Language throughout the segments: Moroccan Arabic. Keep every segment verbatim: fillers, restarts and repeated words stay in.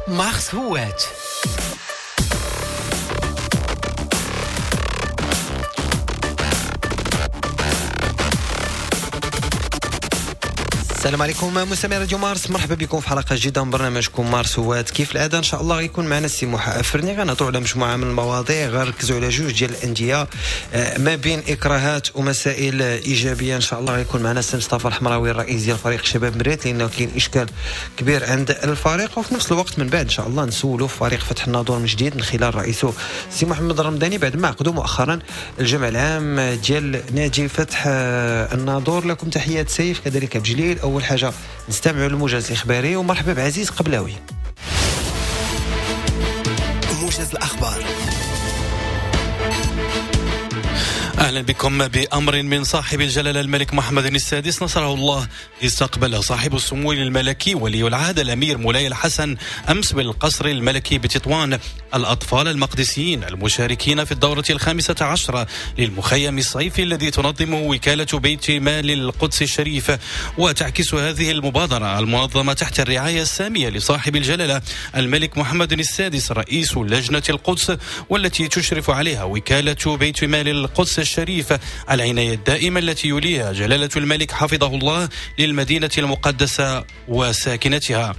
مارس هوات. السلام عليكم مستمعي راديو مارس، مرحبا بكم في حلقة جديدة من برنامجكم مارس هوات. كيف العادة ان شاء الله غيكون معنا السي موحى افرني، غنهضروا على مجموعة من المواضيع، غنركزوا على جوج ديال الاندية ما بين اكراهات ومسائل ايجابية. ان شاء الله غيكون معنا السي مصطفى الحمراوي الرئيس ديال فريق شباب مريت، لانه كاين اشكال كبير عند الفريق، وفي نفس الوقت من بعد ان شاء الله نسولوا فريق فتح الناظور من جديد من خلال رئيسه السي محمد الرمضاني بعد ما عقدوا مؤخرا الجمع العام ديال نادي فتح الناظور. لكم تحيات سيف كذلك بجليل. أول حاجة نستمع للموجز الإخباري، ومرحبا بعزيز قبلاوي. موجز الأخبار. أهلا بكم. بأمر من صاحب الجلالة الملك محمد السادس نصره الله، استقبل صاحب السمو الملكي ولي العهد الأمير مولاي الحسن أمس بالقصر الملكي بتطوان الأطفال المقدسيين المشاركين في الدورة الخامسة عشرة للمخيم الصيفي الذي تنظمه وكالة بيت مال القدس الشريف. وتعكس هذه المبادرة المنظمة تحت الرعاية السامية لصاحب الجلالة الملك محمد السادس رئيس لجنة القدس، والتي تشرف عليها وكالة بيت مال القدس الشريف، العناية الدائمة التي يوليها جلالة الملك حفظه الله للمدينة المقدسة وساكنتها.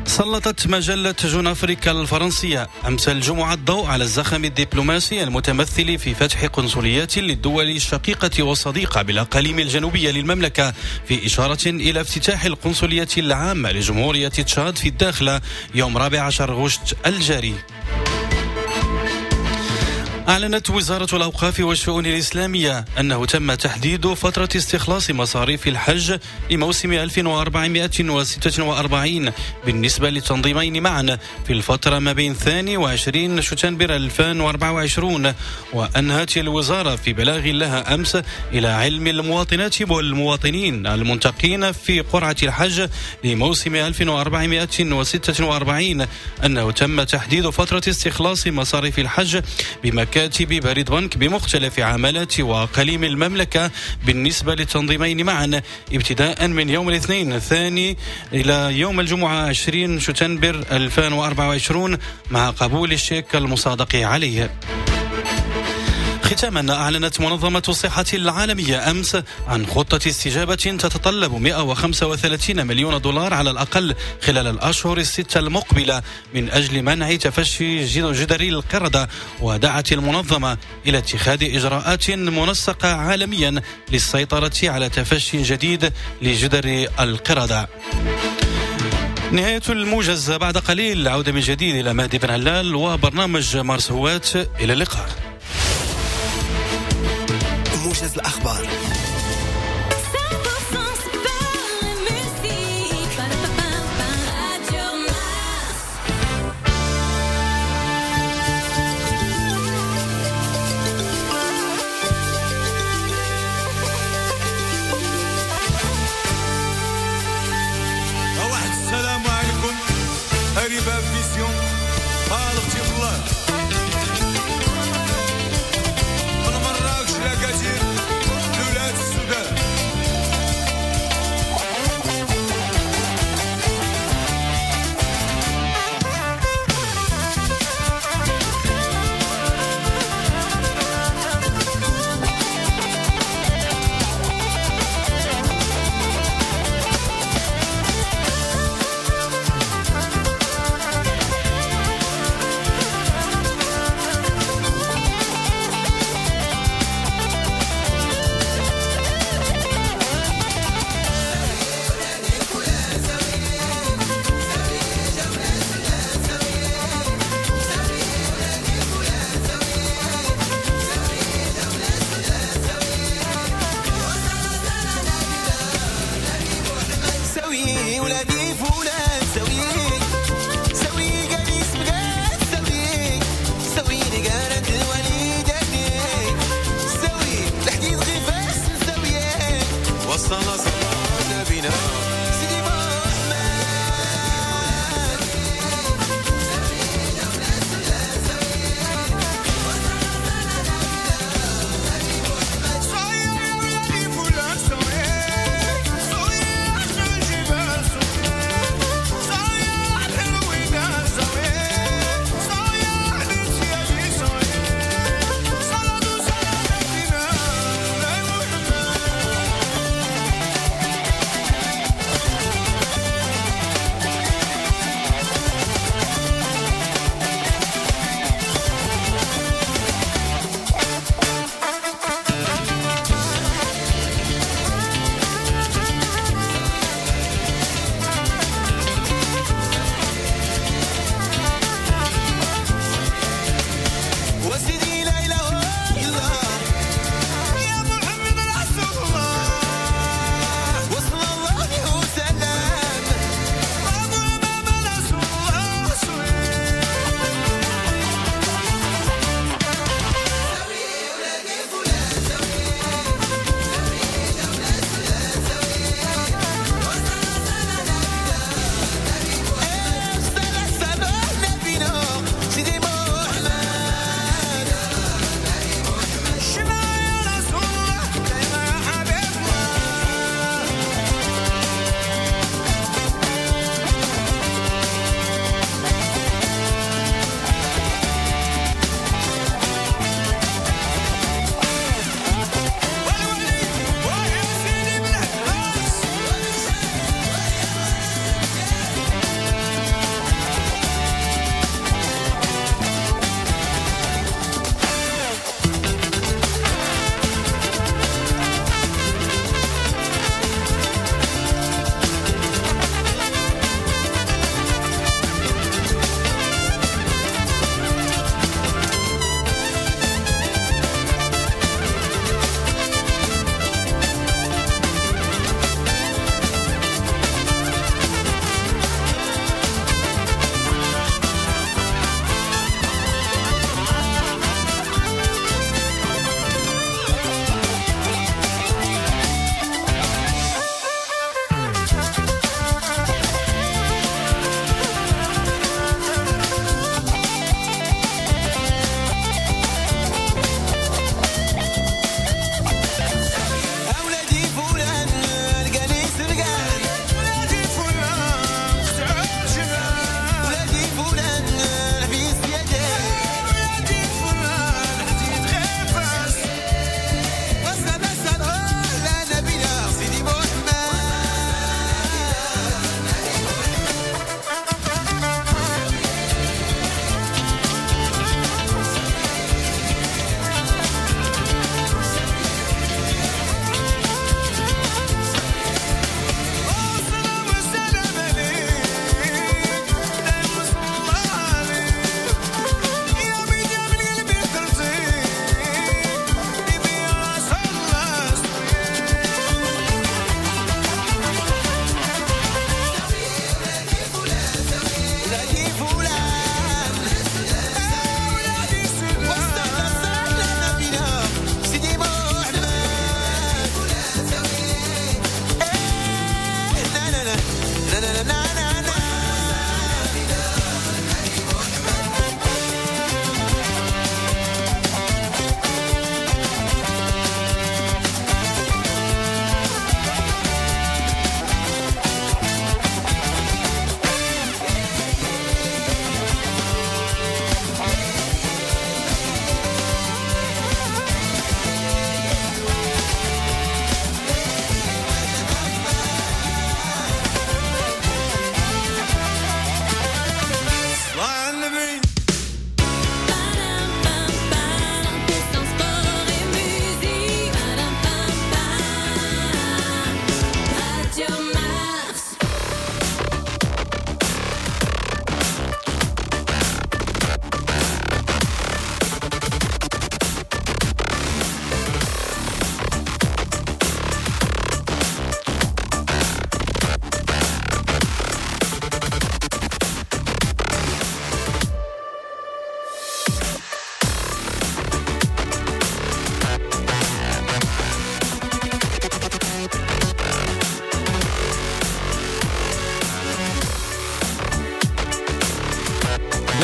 سلطت مجلة جون أفريكا الفرنسية أمس الجمعة الضوء على الزخم الدبلوماسي المتمثل في فتح قنصليات للدول الشقيقة والصديقة بالأقاليم الجنوبية للمملكة، في إشارة إلى افتتاح القنصلية العامة لجمهورية تشاد في الداخلة يوم الرابع عشر غشت الجاري. أعلنت وزارة الأوقاف والشؤون الإسلامية أنه تم تحديد فترة استخلاص مصاريف الحج لموسم ألف وأربعمائة وستة وأربعين بالنسبة للتنظيمين معا في الفترة ما بين الثاني وعشرين شتنبر ألفين وأربعة وعشرين. وأنهت الوزارة في بلاغ لها أمس إلى علم المواطنات والمواطنين المنتقين في قرعة الحج لموسم ألف وأربعمائة وستة وأربعين أنه تم تحديد فترة استخلاص مصاريف الحج بمكان كاتب بريد بنك بمختلف عمالات وأقاليم المملكة بالنسبة للتنظيمين معا ابتداء من يوم الاثنين الثاني إلى يوم الجمعة عشرين شتنبر ألفين وأربعة وعشرين مع قبول الشيك المصادق عليه. ختاما، أعلنت منظمة الصحة العالمية أمس عن خطة استجابة تتطلب مئة وخمسة وثلاثين مليون دولار على الأقل خلال الأشهر الستة المقبلة من أجل منع تفشي جدري القردة. ودعت المنظمة إلى اتخاذ إجراءات منسقة عالميا للسيطرة على تفشي جديد لجدري القردة. نهاية الموجز بعد قليل، عودة من جديد إلى مهدي بن علال وبرنامج مارس هوات. إلى اللقاء. موجز الأخبار. واحد السلام عليكم هريبة فيسيون طالبتي بالله من مراكش لكثير لولاد السودان.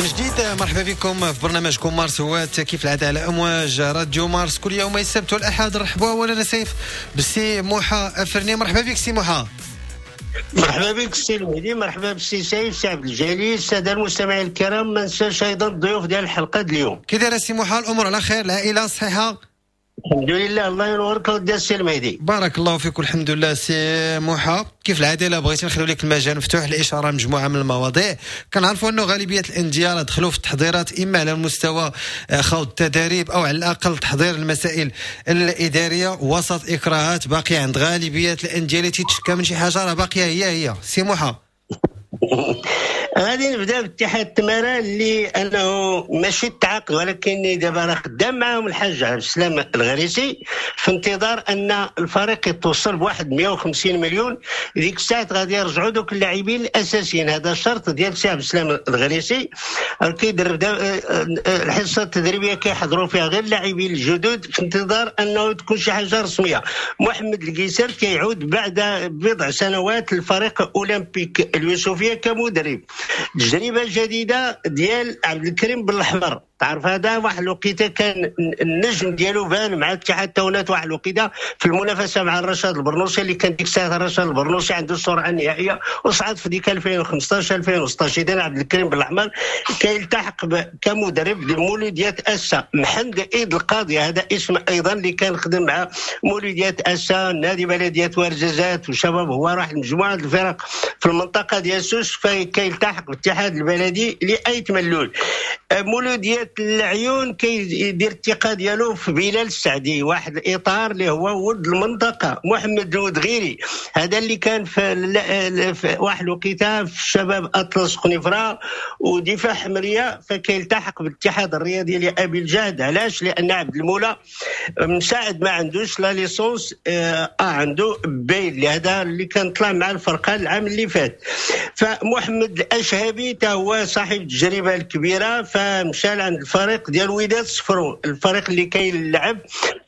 من جديد مرحبا بكم في برنامجكم مارس هوات كيف العادة على امواج راديو مارس كل يوم السبت والاحد. رحبوا اولا سيف بالسي موحى افرني. مرحبا بك سي موحى. مرحبا بك السي المهدي، مرحبا بالسي سيف، سي عبد الجليل، السادة المستمعين الكرام. ما ننساش ايضا الضيوف ديال الحلقة اليوم. كي داير السي موحى؟ الامور على خير؟ العائلة صحيحه؟ الحمد لله، الله ينورك ودي السي المهدي. بارك الله فيك والحمد لله. سي موحى كيف العادة الا بغيتي نخليو لك المجال مفتوح للاشارة مجموعة من المواضيع. كنعرفوا انه غالبية الاندية دخلوا في التحضيرات اما على المستوى خوض التدريب او على الاقل تحضير المسائل الادارية وسط اكراهات باقية عند غالبية الاندية اللي تتشكى من شي حاجة راه باقية هي هي. سي موحى غادي نبدا باتحاد التماره اللي انه ماشي التعاقد، ولكن دابا راه خدام معاهم الحاج عبد السلام الغريسي في انتظار ان الفريق يتوصل بواحد مية وخمسين مليون. ديك الساعة غادي يرجعوا دوك اللاعبين الاساسيين. هذا الشرط ديال سي عبد السلام الغريسي. كيدرب الحصة التدريبية كيحضروا فيها غير اللاعبين الجدد في انتظار انه تكون شي حاجة رسمية. محمد القيسر كيعود بعد بضع سنوات للفريق اولمبيك اليوسفيه كمدرب. تجربه جديدة ديال عبد الكريم بالأحمر، تعرف هذا واحد الوقيته كان النجم ديالو بان مع اتحاد تاونات واحد الوقيته في المنافسة مع الرشاد البرنوسي اللي كان ديك الساعة الرشاد البرنوسي عنده السرعة النهائية وصعد في ديك ألفين وخمسطاش ألفين وستطاش. اذا عبد الكريم بالأحمر كيلتحق كمدرب لمولوديات اسا. محمد ايد القاضي هذا اسم ايضا اللي كان خدم مع مولوديات اسا، نادي بلديات ورزازات وشباب، هو راح مجموعة الفرق في المنطقة ديال سوس، فكيلتحق بالاتحاد البلدي لايت ملول. مولوديات العيون كيدير الثقة ديالو في بلال السعدي، واحد الاطار اللي هو ولد المنطقة. محمد الودغيري هذا اللي كان في, في واحد الوقيته في شباب اطلس قنيفره ودفاع حمريه، فكيلتحق بالاتحاد الرياضي لابي الجهد. علاش؟ لان عبد المولى مساعد ما عندوش la licence آه عنده B، لهذا اللي كان طلع مع الفرقة العام اللي فات. فمحمد الاشهبي تا هو صاحب التجربة الكبيرة، فمشى عند الفريق ديال وداد صفرو، الفريق اللي كيلعب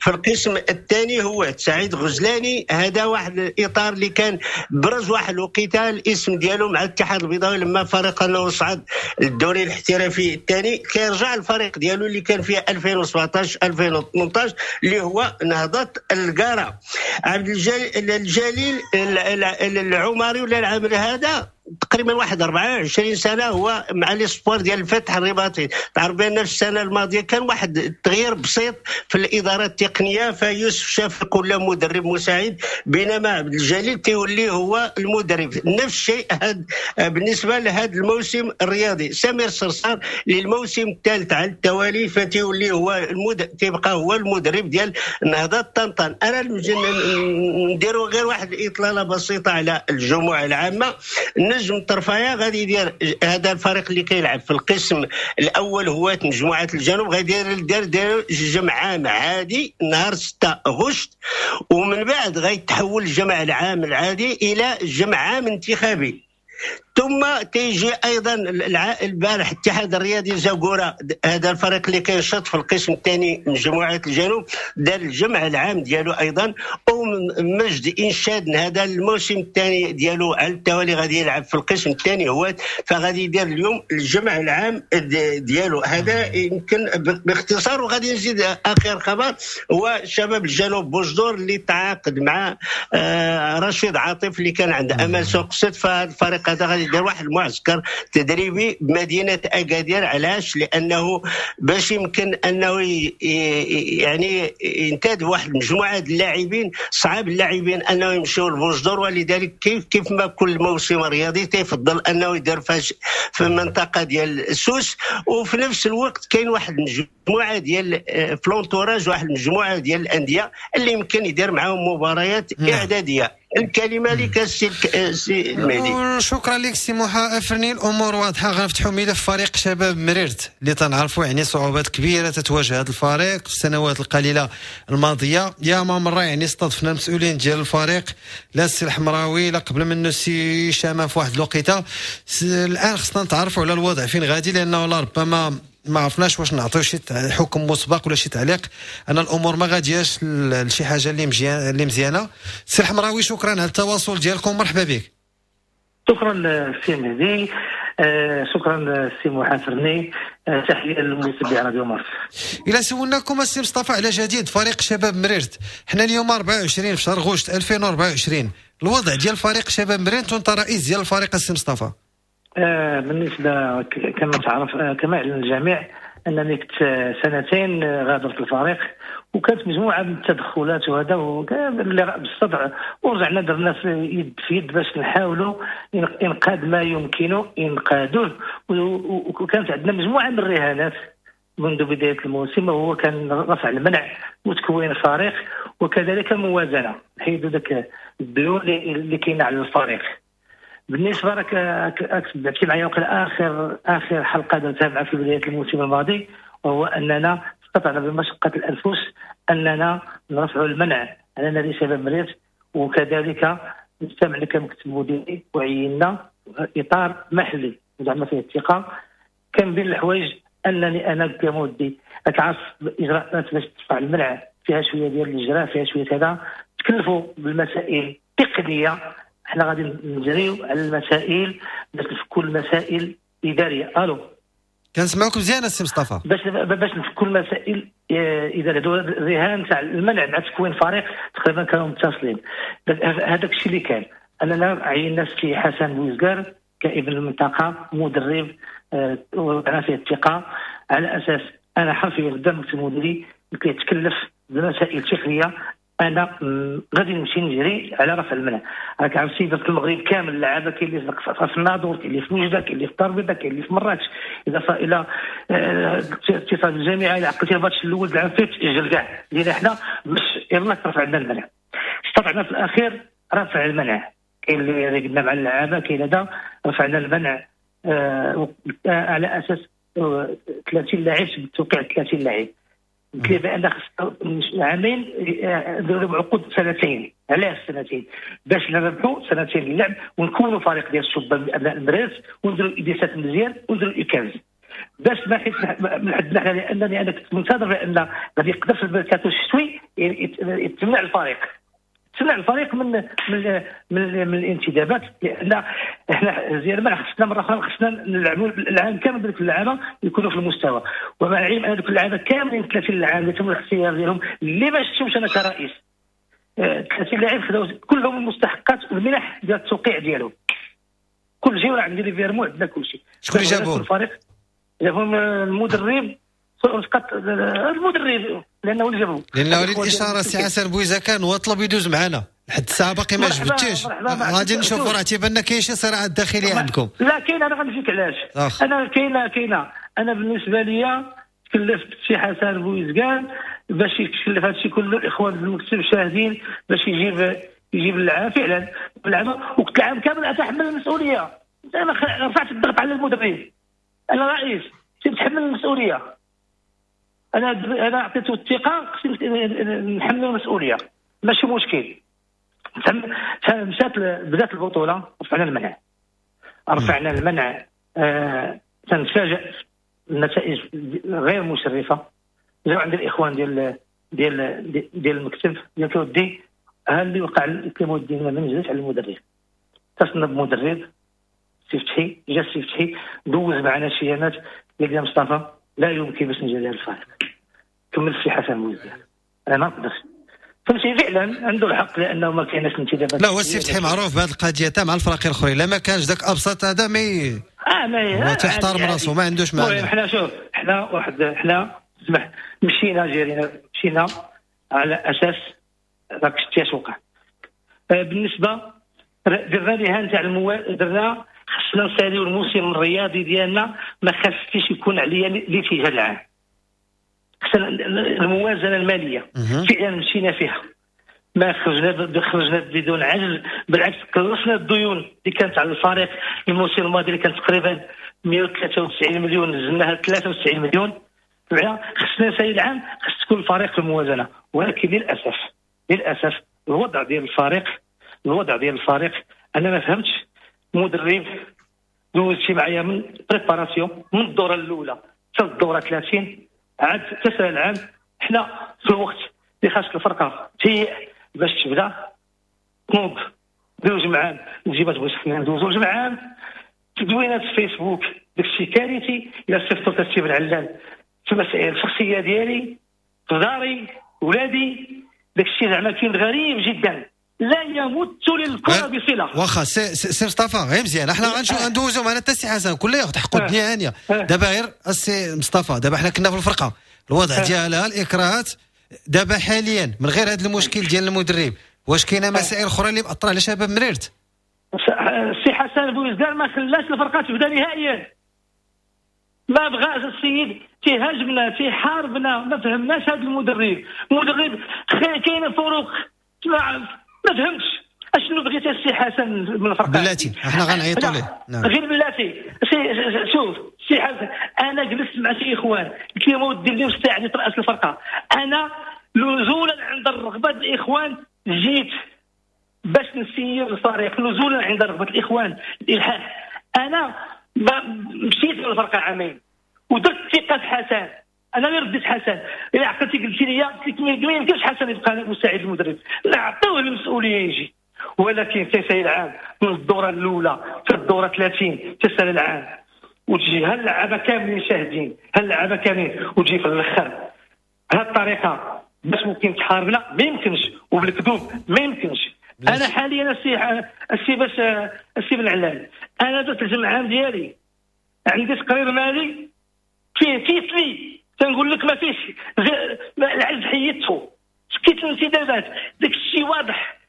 في القسم الثاني هو سعيد غزلاني. هذا واحد الاطار اللي كان برز واحد الوقيته الاسم ديالو مع الاتحاد البيضاوي لما فريق انه صعد للدوري الاحترافي الثاني. كيرجع الفريق ديالو اللي كان فيه ألفين وسبعطاش ألفين وثمنطاش اللي هو نهضة القارة. عبد الجليل العمري ولا العامل هذا تقريبا واحد أربعة وعشرين سنة هو مع les espoirs ديال الفتح الرباطي. تعرف بان في السنة الماضية كان واحد التغيير بسيط في الادارة التقنية، فيوسف شافق ولا مدرب مساعد، بينما عبد الجليل تيولي هو المدرب. نفس الشيء هاد بالنسبة لهذا الموسم الرياضي. سمير صرصار للموسم الثالث على التوالي فتيولي هو المد... تيبقى هو المدرب ديال نهضة طنطان. انا نديروا غير واحد الاطلاله بسيطة على الجموع العامة. نجم الطرفايه غادي يدير هذا الفريق اللي كيلعب في القسم الاول هو مجموعة الجنوب، غادي يدير دير جمع عام عادي نهار ستة غشت، ومن بعد غيتحول الجمع العام العادي الى جمع عام انتخابي. ثم تيجي ايضا البارح الاتحاد الرياضي زاكورا، هذا الفريق اللي كينشط في القسم الثاني من مجموعة الجنوب، دار الجمع العام ديالو ايضا. ومجد انشاد هذا الموسم الثاني ديالو على التوالي غادي يلعب في القسم الثاني هو، فغادي يدير اليوم الجمع العام ديالو. هذا يمكن باختصار. وغادي نزيد اخر خبر هو شباب الجنوب بوجدور اللي تعاقد مع رشيد عاطف اللي كان عند امل سوق ست، فالفريق هذا غادي يدير واحد المعسكر تدريبي بمدينة اكادير. علاش؟ لانه باش يمكن انه يعني ينتدب واحد المجموعة اللاعبين، صعب اللاعبين انه يمشيو لبوجدور، ولذلك كيف كيف ما كل موسم رياضي تيفضل انه يدير في المنطقة ديال سوس. وفي نفس الوقت كاين واحد المجموعة ديال في l'entourage واحد المجموعة ديال الاندية اللي يمكن يدير معاهم مباريات اعدادية. الكلمة لك السي المهدي. شكرا لك سي موحى افرني. الامور واضحة. غنفتحوا ملف فريق شباب مريرت اللي تنعرفوا يعني صعوبات كبيرة تتواجه هذا الفريق في السنوات القليلة الماضية. يا ما مرة يعني استضفنا المسؤولين ديال الفريق، لا السي الحمراوي لا قبل منه السي شامة في واحد الوقيته. الان خصنا نتعرفوا على الوضع فين غادي، لانه ربما ما عرفناش واش نعطيو شي حكم مسبق ولا شي تعليق ان الامور ما غادياش لشي حاجة اللي مزيانه اللي مزيانه. سي الحمراوي شكرا على التواصل ديالكم، مرحبا بك. شكرا سي مهدي. آه شكرا سي محافرني، آه تحية للمتابعين راديو مارس. الى سولناكم السي مصطفى على جديد فريق شباب مريرت، حنا اليوم أربعة وعشرين في شهر غشت ألفين وأربعة وعشرين، الوضع ديال فريق شباب مريرت وانت رئيس ديال الفريق السي مصطفى. آه بالنسبة كما تعرف آه كما يعلم الجميع انني كنت سنتين غادرت الفريق، وكانت مجموعة من التدخلات وهذا اللي بالصدع، ورجعنا درنا يد في يد باش نحاولوا انقاذ ما يمكن انقاذه، وكانت عندنا مجموعة من الرهانات منذ بداية الموسم، وهو كان رفع المنع وتكوين الفريق وكذلك الموازنة، حيدوا ذاك الديون اللي كاينه على الفريق. بالنسبة راك تبعتي معايا وقال اخر اخر حلقة درتها معك في بداية الموسم الماضي، وهو اننا استطعنا بمشقة الانفس اننا نرفع المنع على نادي شباب مريرت، وكذلك نجتمع كمكتب مديري وعينا اطار محلي زعما فيه الثقة. كان بين الحوايج انني انا كمودي اتعرف اجراءات باش ترفع المنع، فيها شوية ديال الاجراء، فيها شوية كذا، تكلفوا بالمسائل التقنية، حنا غادي نجريو على المسائل باش نفكوا المسائل الادارية. الو كنسمعوك مزيان السي مصطفى. باش باش نفكوا المسائل الادارية، الرهان تاع المنع مع تكوين فريق تقريبا كانوا متصلين. هذاك الشيء اللي كان اننا عينا السي حسن بوزكار كابن المنطقة مدرب وضعنا فيه الثقة، على اساس انا حرفيا قدام المكتب المديري كيتكلف بمسائل تقنية، انا غادي نمشي نجري على رفع المنع. راك عرفتي درت المغرب كامل اللعابه، كاين اللي في الناظور، كاين اللي في وجده، كاين اللي في الدار البيضاء، كاين اللي في مراكش. اذا الى اتصال الجامعة الى عقلتي الماتش الاول العام فات اجل كاع لينا حنا باش يلاه ترفع عندنا المنع. استطعنا في الاخير رفع المنع، كاين اللي رقدنا مع اللعابه، كاين هذا رفعنا المنع آه على اساس ثلاثين لاعب بالتوقيع ثلاثين لاعب. قلت لي بان خص عامين نديروا عقود سنتين. علاش سنتين؟ باش نربحوا سنتين اللعب ونكونوا فريق ديال الشبان ابناء المدارس، ونديروا الاديسات مزيان ونديروا الايكاز، باش ما حيت من حدنا حنا، لانني انا كنت منتظر بان غادي يقدر في الميركاتو الشتوي يتمنع الفريق، تمنع الفريق من من من, من الانتدابات، لان احنا زيادة ما خصنا مرة اخرى خصنا نلعبوا العام كامل دوك اللعابه يكونوا في المستوى. ومع العلم ان دوك اللعابه كاملين ثلاثين لاعب اللي تم الاختيار ديالهم اللي ما شفتهمش انا كرئيس، ثلاثين لاعب خداو كلهم المستحقات والمنح ديال التوقيع ديالهم، كل شيء راه عندي les virements، عندنا كل شيء. شكون اللي جابهم؟ الفريق جابهم المدرب، فقط المدرب لانه اللي جابهم. لانه اريد اشارة سي حسن بويزكان وطلب يدوز معنا لحد الساعة باقي ما جبتيش، غادي نشوفوا راه تيبان لنا كاين شي صراعات داخلية عندكم. لا كاين، انا غنجيك علاش. أخ. انا كاينه كاينه انا بالنسبة ليا تكلفت سي حسن بويزكان باش يتكلف هذا الشيء كله، الاخوان في المكتب شاهدين، باش يجيب يجيب اللعابه فعلا اللعابه، وقت العام كامل اتحمل المسؤولية. انا رفعت الضغط على المدرب، انا رئيس تتحمل المسؤولية، انا انا عطيته الثقة خصني نحمل المسؤولية، ماشي مشكل. مشات بدات البطولة، رفعنا المنع، رفعنا المنع. آه تنتفاجئ النتائج غير مشرفة. جاو عند الاخوان ديال ديال ديال المكتب ديال كودي، ها اللي وقع كيمودي ما نزلش على المدرب، اتصلنا بمدرب سي فتحي، جا سي فتحي دوز معنا شي ايامات، قال لي مصطفى لا يمكن باش نجي لهذا الفريق، كمل السي حسن بوزيان، انا ما نقدرش. فهمتي فعلا عنده الحق لانه ما كايناش انتدابات. لا هو السي فتحي معروف بهذه القضية تاع مع الفرق الاخرين، لا ما كانش ذاك ابسط هذا mais اه ما هو تحترم راسه ما عندوش معنى. المهم حنا شوف حنا واحد حنا اسمح مشينا جرينا مشينا على اساس راك شتي اش وقع. بالنسبة درنا رهان تاع المو... درنا خصنا نساليو الموسم الرياضي ديالنا، ما خاصش يكون عليا الاتجاه العام، خصنا الموازنة المالية فعلا مشينا فيها، ما خرجنا خرجنا بدون عجز، بالعكس قلصنا الديون اللي كانت على الفريق الموسم الماضي اللي كانت تقريبا مئة وثلاثة وتسعين مليون نزلناها ثلاثة وتسعين مليون. خصنا نسالي العام، خص تكون الفريق في الموازنة، ولكن للاسف للاسف الوضع ديال الفريق الوضع ديال الفريق انا ما فهمتش. مدرب دوزتي معايا من préparation من الدورة الاولى حتى الدورة ثلاثين، عاد تسال العام حنا في الوقت اللي خاص الفرقة تهيئ باش تبدا تنوض دوز معام نجيب تبغي خصنا ندوزو جمعان تدوينات في فيسبوك داكشي كارثي. الا صيفطوا السي بن علال في المسائل الشخصية ديالي في داري ولادي، داكشي زعما كاين غريب جدا، لا يمت للكرة بصله. واخا سي سي مصطفى غير مزيان، احنا غنشوف ندوزو معنا حتى السي حسن كل ياخذ حقه الدنيا هانيه. دابا غير السي مصطفى، دابا حنا كنا في الفرقة الوضع ديالها الاكراهات، دابا حاليا من غير هذا المشكل ديال المدرب واش كاينه مسائل اخرى اللي مأثره على شباب مريرت؟ السي حسن بوزكار ما خلاش الفرقة تبدا نهائيا، ما بغاش السيد، تيهاجمنا تيحاربنا، ما فهمناش هذا المدرب. المدرب كاين فروق، ما فهمتش اشنو بغيت السي حسن من الفرقة. بلاتي احنا غنعيطوا ليه. نعم. غير بلاتي شوف سي حسن، انا جلست مع شي اخوان قلت لهم ودي اللي مستعد يترأس الفرقة، انا نزولا عند الرغبة الاخوان جيت باش نسير الفريق، نزولا عند رغبة الاخوان الالحاح. انا مشيت للفرقة عامين ودرت ثقة في حسن، انا اللي رديت حسن. الا عقلتي قلتي لي قلت لك ما يمكنش حسن يبقى مساعد المدرب، نعطيوه المسؤولية يجي. ولكن تسالي العام من الدورة الاولى في الدورة ثلاثين تسالي العام وتجي هاللعابه كاملين شاهدين، هاللعابه كاملين، وتجي في الاخر بهذه الطريقة باش ممكن تحاربنا ما يمكنش، وبالكذوب ما يمكنش. انا حاليا السي السي باش السي بن علال، انا درت الجمع العام ديالي، عندي تقرير مالي فيه تيسلي، تنقول لك ما فيش العز، حيدته سكيت الانتدابات، داك الشيء واضح.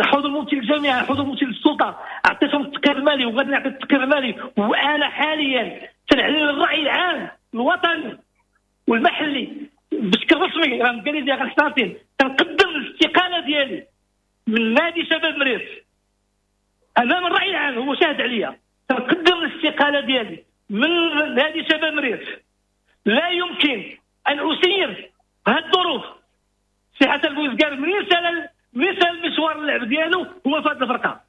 حضور ممثل الجامعة، حضور ممثل السلطة، عطيتهم التقرير المالي وغادي نعطي التقرير المالي. وانا حاليا تنعلن الراي العام الوطني والمحلي بشكل رسمي، راه قال لي غنحتاطين، تنقدم الاستقالة ديالي من نادي شباب مريرت امام الراي العام، هو شاهد عليا. تنقدم الاستقالة ديالي من نادي شباب مريرت. لا يمكن ان اسير بهذه الظروف. سي حسن بوزكار منين سال منين سال مشوار اللعب ديالو هو في هذه الفرقة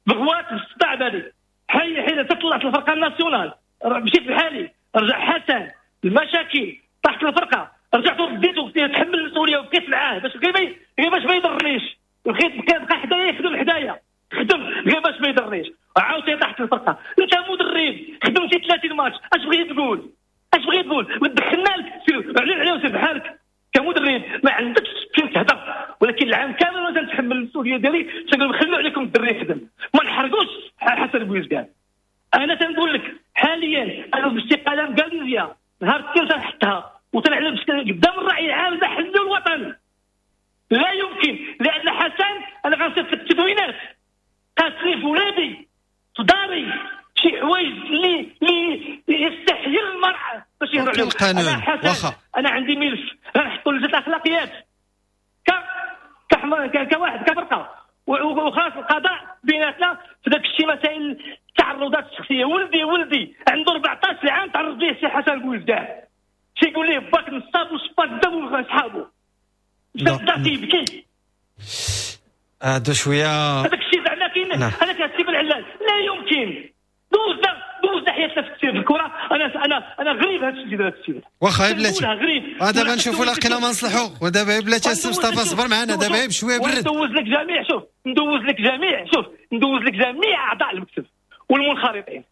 بغوات بالصداع بالي حي حين تطلعت الفرقة ال nationale، مشيت بحالي، رجع حسن المشاكل طاحت الفرقة، رجعت رديت وقلت تحمل المسؤولية وبقيت معاه باش غير غير باش ما يضرنيش، بقيت بقى حدايا يخدم حدايا، خدم غير باش ما يضرنيش، عاوتاني طاحت الفرقة. انت مدرب خدمتي ثلاثين ماتش، اش بغيتي تقول؟ اش بغيت تقول؟ ودخلنا لك سير علي علي وسير بحالك كمدرب، ما عندكش فين تهضر. ولكن العام كامل وانا تنتحمل المسؤولية ديالي، تنقول خلوا عليكم الدري يخدم، ما نحرقوش حسن بوزكان. انا تنقول لك حاليا انا بالاستقاله مقاليزيا نهار الاثنين تنحطها وتنعلن قدام الراي العام المحلي والوطني. لا يمكن، لان حسن انا غنصيفط لك التدوينات قاتلي في ولادي في داري شي حوايج اللي اللي يستحيل المرأة باش يهضر عليهم. انا حسن انا عندي ملف غنحطو لجنة الاخلاقيات ك كواحد كفرقه، وخلاص القضاء بيناتنا في داك الشيء مسائل التعرضات الشخصية. ولدي ولدي عنده أربعطاش عام تعرض ليه سي حسن بوزكان، تيقول ليه باك نصاب وشباك دم وصحابو بدا تيبكي. هذا شوية هذاك الشيء زعما كاين. هذاك السي بن علال لا يمكن دوزنا دوزنا حياتنا في التسيير في الكره. انا انا انا غريب هذا الشيء ديال التسيير. واخا بلاتي دابا نشوفوا لقينا ما نصلحوا. ودابا بلاتي السي مصطفى صبر معنا دابا غير بشوية برد. ندوز لك جميع شوف ندوز لك جميع شوف ندوز لك جميع اعضاء المكتب والمنخرطين.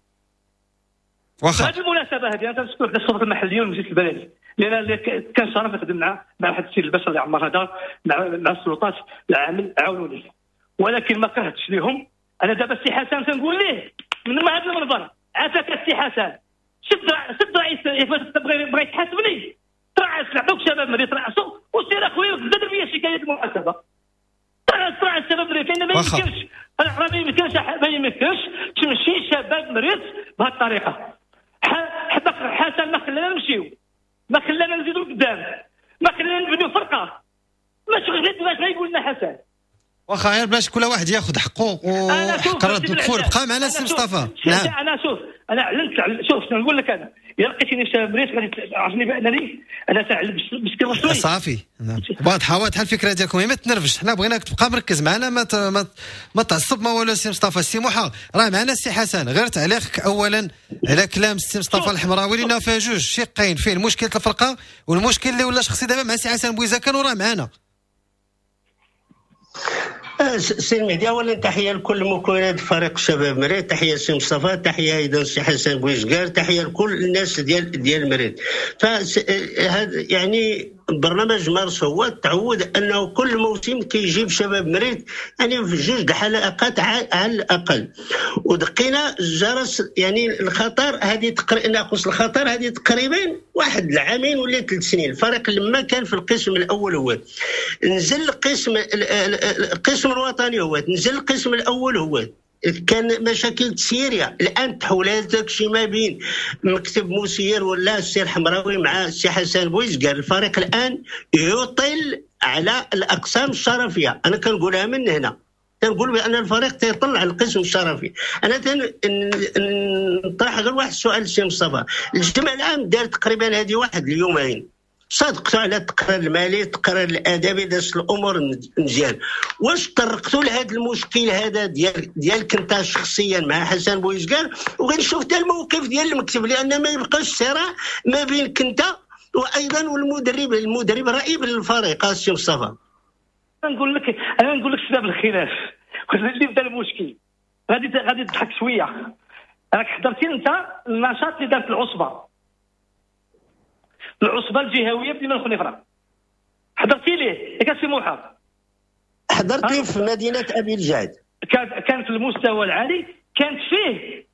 واخا هذه المناسبة هذه انا تنشكر السلطة المحلية والمجلس البلدي، لان كان شرف نخدم مع مع واحد السيد البشر اللي عمر هذا مع مع السلطات العامل عاونوني، ولكن ما كرهتش ليهم. انا دابا السي حسن تنقول ليه من هذا المنبر، عافاك السي حسن شد شد رئيس بغى بغى يتحاسبني، ترعس نعطوك شباب مريض ترعسو وسير اخويا غدا دير فيا شكاية المحاسبة. ترعس ترعس شباب مريض، لان ما يمكنش راه ما يمكنش ما يمكنش تمشي شباب مريض بهذه الطريقة. حتى حسن ما خلانا نمشيو، ما خلانا نزيدو لقدام، ما خلانا نبنيو فرقه، ما شغلت باش غيقول لنا حسن. واخا غير باش كل واحد ياخذ حقه وحق رد الكفور. بقى معنا السي مصطفى. نعم انا شوف انا اعلنت شوف شنو نقول لك، انا الا لقيتيني في شباب مريض غادي تعرفني بانني انا تنعلن بشكل رسمي. صافي نعم واضحة واضحة الفكرة ديالكم، ما تنرفش، حنا بغيناك تبقى مركز معنا، ما ما, ما تعصب ما والو. السي مصطفى السي موحى راه معنا السي حسن، غير تعليقك اولا على كلام السي مصطفى الحمراوي لان فيه جوج شقين، فيه مشكلة الفرقة والمشكل اللي ولا شخصي دابا مع السي حسن بويزاكان وراه معنا. سي المهدي، اولا تحية لكل مكونات فريق شباب مريرت، تحية سي مصطفى، تحية ايضا سي حسن بويزكار، تحية لكل الناس ديال ديال مريرت. فهذا يعني برنامج مارس هو تعود انه كل موسم كيجيب شباب مريرت يعني في جوج الحلقات على الاقل، ودقينا الجرس يعني الخطر هذه تقريبا ناقص الخطر هذه تقريبا واحد العامين ولا ثلاث سنين. الفريق لما كان في القسم الاول هو نزل القسم القسم الوطني هو نزل القسم الاول هو كان مشاكل تسييريه. الان تحولات داكشي ما بين مكتب مسير ولا السي الحمراوي مع السي حسن بويزكار. الفريق الان يطل على الاقسام الشرفيه، انا كنقولها من هنا، تنقول بان الفريق تيطلع على القسم الشرفي. انا تنطرح غير واحد السؤال السي مصطفى، الجمع العام دار تقريبا هذه واحد اليومين، صادقتوا على التقرير المالي، التقرير الادبي، دازت الامور مزيان. واش طرقتوا لهذا المشكل هذا ديال ديالك انت شخصيا مع حسن بويزكار؟ وغنشوف حتى الموقف ديال المكتب، لان ما يبقاش صراع ما بينك انت وايضا والمدرب، المدرب رئيس الفريق السي مصطفى. نقول لك انا نقول لك سبب الخلاف اللي بدا المشكل. غادي غادي تضحك شوية، راك حضرتي انت النشاط اللي دارت العصبة العصبة الجهوية بدينا الخنيفره، حضرتي ليه ياك السي موحى؟ حضرت ليه في مدينة ابي الجعد، كان كان في المستوى العالي، كانت فيه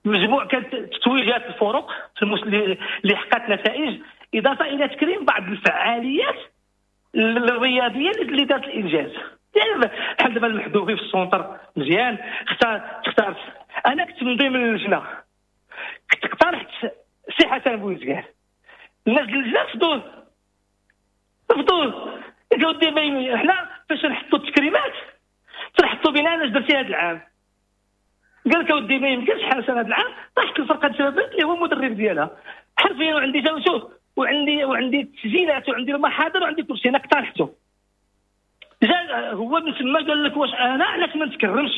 مجموع، كانت تتويجات الفرق في المس... اللي حققت نتائج، اضافه الى تكريم بعض الفعاليات الرياضية اللي دارت الانجاز. يعني بحال دابا المحذوفي في ال centre مزيان، اختار اختارت انا كنت من ضمن اللجنة، كنت اقترحت سي حسن بويزكار، الناس اللجنة رفضوه رفضوه قالوا ديما حنا فاش نحطوا التكريمات تنحطوا بنا علاش درتي هذا العام؟ قال لك اودي ما يمكنش حسن هذا العام طاحت الفرقة الشباب اللي هو المدرب ديالها حرفيا، وعندي شوف وعندي وعندي التسجيلات وعندي المحاضر وعندي كل شيء، انا اقترحته. جا هو من تما قال لك واش انا علاش ما نتكرمش